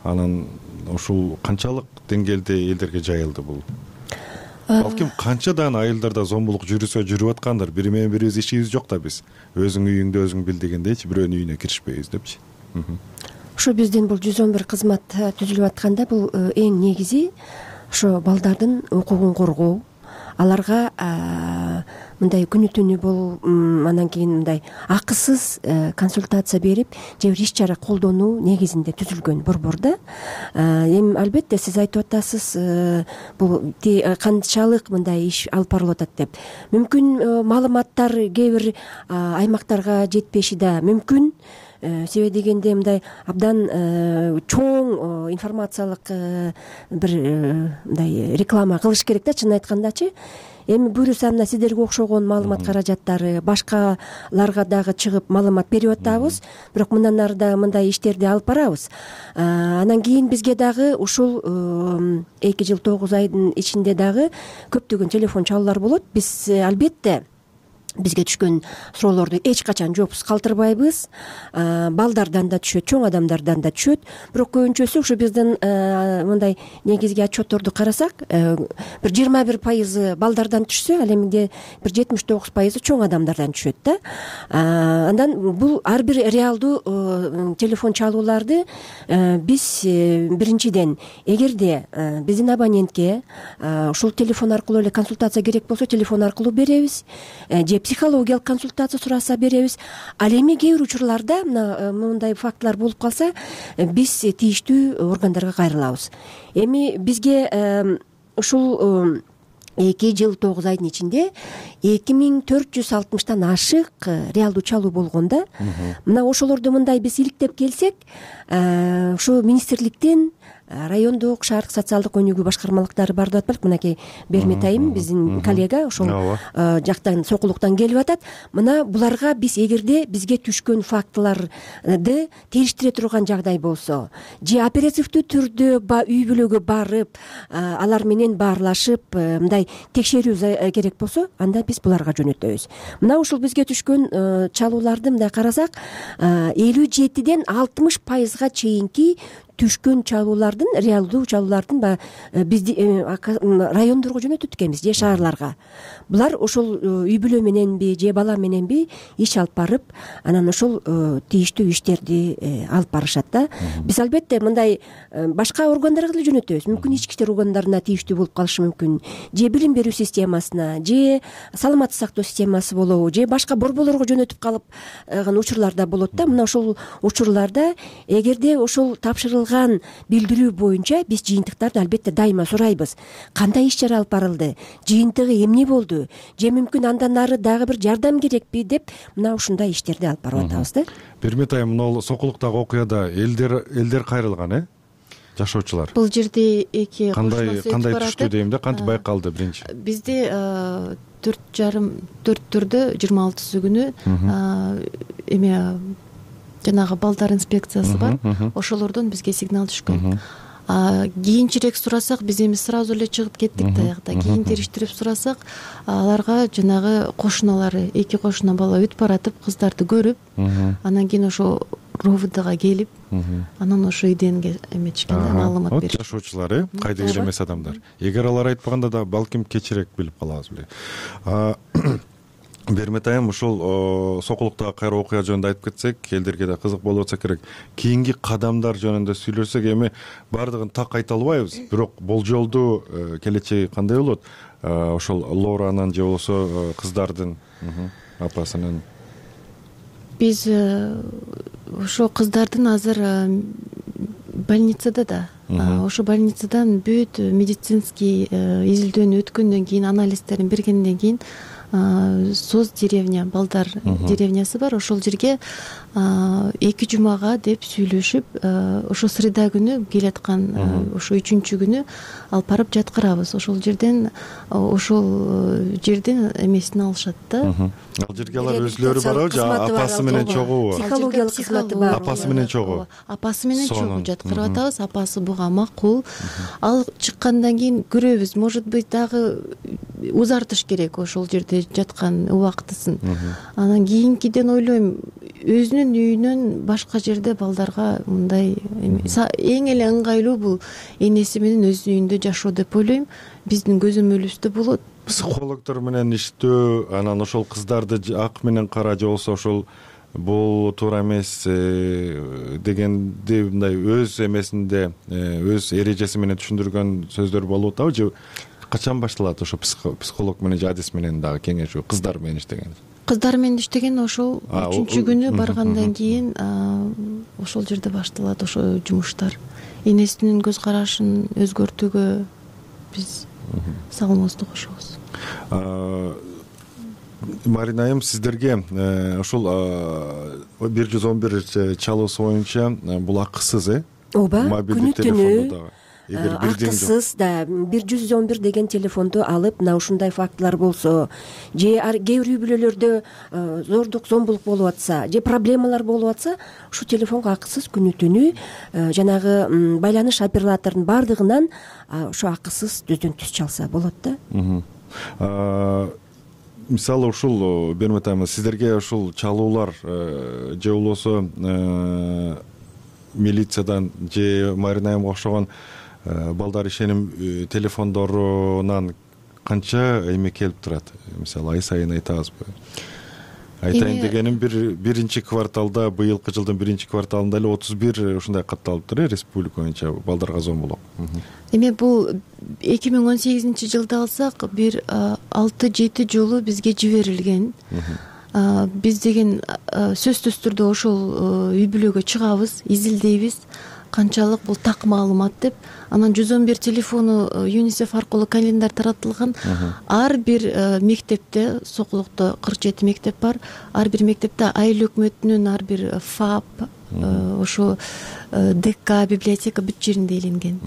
Анан ушул канчалык деңгээлде элдерге жайылды бул? Балким канчадан айылдарда зомбулук жүрүсө жүрүп аткандыр. Бири менен бирибиз ишибиз жок да биз. Өзүң үйүңдө өзүң бил дегендейчи, бирөөнүн үйүнө киришпейбиз депчи. Ушу биздин бул 111 кызмат түзүлүп атканда бул эң негизи ошо балдардын укугун коргоо, аларга мындай күнү түнү анан кийин мындай акысыз консультация берип, же бир иш чара колдонуу негизинде түзүлгөн борбор да. Эми албетте сиз айтып атасыз, бул канчалык мындай иш алып барылып атат деп. Мүмкүн маалыматтар кээ бир аймактарга жетпеши да мүмкүн. Себеби дегенде мындай абдан чоң информациялык бир мындай реклама кылыш керек да, чынын айткандачы. Эми буюрса мына сиздерге окшогон маалымат каражаттары башкаларга дагы чыгып маалымат берип атабыз, бирок мындан ары да мындай иштерди алып барабыз. Анан кийин бизге дагы ушул 2 жыл 9 айдын ичинде дагы көптөгөн телефон чалуулар болот. Биз албетте бизге түшкөн суроолорду эч качан жоопсуз калтырбайбыз. Балдардан да түшөт, чоң адамдардан да түшөт. Бирок көбүнчөсү ушу биздин мындай негизги отчетторду карасак, бир 21% балдардан түшсө, ал эмиде бир 79% чоң адамдардан түшөт да. Андан бул ар бир реалдуу телефон чалууларды биз биринчиден, эгерде биздин абонентке ушул телефон аркылуу эле консультация керек болсо, телефон аркылуу беребиз, же психологиялык консультация сураса беребиз. Ал эми кээ бир учурларда мындай фактылар болуп калса биз тийиштүү органдарга кайрылабыз. Эми бизге ушул 2 жыл 9 айдын ичинде 2460 ашык реалдуу чалуу болгондо мына ошолорду мындай биз иликтеп келсек, ушу министрликтин райондук шаардык социалдык өнүгүү башкармалыктары бар деп атпайбы. Мынакей Бермет айым биздин коллега ошол жактан сокулуктан келип атат. Мына буларга биз эгерде бизге түшкөн фактыларды териштире турган жагдай болсо, же оперативдүү түрдө үй бүлөгө барып алар менен баарлашып мындай текшерүү керек болсо, анда биз буларга жөнөтөбүз. Мына ушул бизге түшкөн чалууларды мындай карасак, 57ден 60% чейинки түшкөн чалуулардын, реалдуу чалуулардын бизди райондорго жөнөтөт экенбиз же шаарларга. Булар ошол үй бүлө мененби же бала мененби иш алып барып, анан ошол тийиштүү иштерди алып барышат да. Биз албетте мындай башка органдарга деле жөнөтөбүз. Мүмкүн ички иштер органдарына тийиштүү болуп калышы мүмкүн, же билим берүү системасына, же саламаттык сактоо системасы болобу, же башка борборлорго жөнөтүп калып учурлар да болот да. Мына ошол учурларда эгерде ошол тапшырылган билдирүү боюнча биз жыйынтыктарды албетте дайыма сурайбыз. Кандай иш чара алып барылды, жыйынтыгы эмне болду, же мүмкүн андан нары дагы бир жардам керекпи деп мына ушундай иштерди алып барып атабыз да. Бермет айым, мына сокулуктагы окуяда элдер кайрылган, жашоочулар. Бул жерде эки кандай түштү дейм да, кантип байкалды биринчи? Бизде 4-4 26 күнү эме жанагы балдар инспекциясы бар, ошолордон бизге сигнал түшкөн. Кийинчерээк сурасак, биз эми сразу эле чыгып кеттик даягда. Кийин териштирип сурасак, аларга жанагы кошуналары, 2 кошуна бала өтүп баратып, кыздарды көрүп, анан кийин ошо РОВДга келип, анан ошо ИДНге эметишкен да, маалымат беришкен. Жашоочулар, кайдыгер эмес адамдар. Эгер алар айтпаганда да балким кечирээк билип калабыз беле. Бермет айым, ушул сокулуктагы кайра окуя жөнүндө айтып кетсек, элдерге да кызык болуп атса керек. Кийинки кадамдар жөнүндө сүйлөсөк, эми бардыгын так айта албайбыз, бирок болжолдуу келечеги кандай болот? Ошол Лоранын же болбосо кыздардын апасынын. Биз ошо кыздардын азыр больницада да. Ошо больницадан бүт медицинский изилдөөнү өткөндөн кийин, анализдерин бергенден кийин Соз деревня, балдар деревнясы бар. Ошол жерге 2 жумага деп сүйлөшүп, ошо среда күнү келаткан, ошо 3-чү күнү алып барып жаткырабыз. Ошол жерден эмесин алышат да. Ал жерге алар өзлөрү барабы же апасы менен чогуу? Психологиялык кызматы бар. Апасы менен чогуу. Апасы менен чогуу жаткырып атабыз. Апасы буга макул. Ал чыккандан кийин көрөбүз, может быть дагы узартыш керек ошол жерде жаткан убактысын. Анан кийинкиден ойлойм, өзүнүн үйүнөн башка жерде балдарга мындай эң эле ыңгайлуу бул энеси менен өзүнүн үйүндө жашоо деп ойлойм. Биздин көзөмөлүбүздө болот. Психологдор менен иштөө, анан ошол кыздарды ак менен кара же болбосо ошол бул туура эмес дегенди мындай өз эмесинде, өз эрежеси менен түшүндүргөн сөздөр болуп атабы же качан башталат ошо психолог менен же адис менен дагы кеңешүү кыздар менен иштеген? Кыздар менен иштеген ошол 3-чү күнү баргандан кийин ошол жерде башталат ошо жумуштар. Энесинин көз карашын өзгөртүүгө биз салымыбызды кошобуз. Марина айым, сиздерге ошол 111 чалуусу боюнча бул акысыз, ооба, күнү-түнү акысыз да 111 деген телефонду алып, мына ушундай фактылар болсо, же кээ бир үй бүлөлөрдө зордук, зомбулук болуп атса, же проблемалар болуп атса, ушу телефонго акысыз күнү-түнү жанагы байланыш операторунун бардыгынан ошо акысыз түздөн түз чалса болот да. Мисалы ушул Бермет айым, сиздерге ушул чалуулар же болбосо милициядан же Марина айымга окшогон балдар ишеним телефондорунан канча эме келип турат? Мисалы ай сайын айтабызбы? айтайын дегеним биринчи кварталда, быйылкы жылдын биринчи кварталында эле 31 ушундай катталыптыр республика боюнча балдарга зомбулук. Эми бул 2018 жылда алсак бир 6-7 жолу бизге жиберилген. Биз деген сөзсүз түрдө ошол үй бүлөгө чыгабыз, изилдейбиз канчалык бул так маалымат деп. Анан 111 телефону ЮНИСЕФ аркылуу календарь таратылган. Ар бир мектепте, Сокулукта 47 мектеп бар. Ар бир мектепте айыл өкмөтүнүн ар бир ФАП, ошо ДК, библиотека бүт жеринде иленген.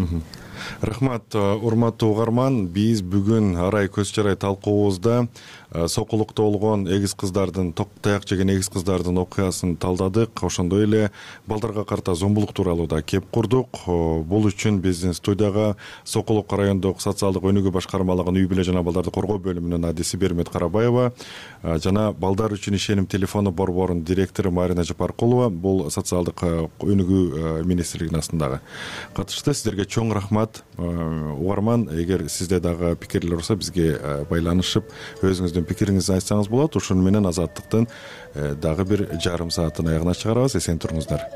Рахмат, урматтуу угарман. Биз бүгүн арай көз чарай талкуубузда Сокулукта болгон эгиз кыздардын, ток таяк жеген эгиз кыздардын окуясын талдадык. Ошондой эле балдарга карата зомбулук тууралуу да кеп курдук. Бул үчүн биздин студияга Сокулук райондук социалдык өнүгүү башкармалыгынын үй бүлө жана балдарды коргоо бөлүмүнүн адиси Бермет Карабаева жана балдар үчүн ишеним телефону борборунун директору Марина Жапаркулова, бул социалдык өнүгүү министрлигинин астындагы катышты. Сиздерге чоң рахмат. Угарман, эгер сизде дагы пикирлер болсо бизге байланышып өзүңүздүн пикириңизди айтсаңыз болот. Ошону менен азаттыктын дагы бир жарым саатын аягына чыгарабыз. Эсен туруңуздар.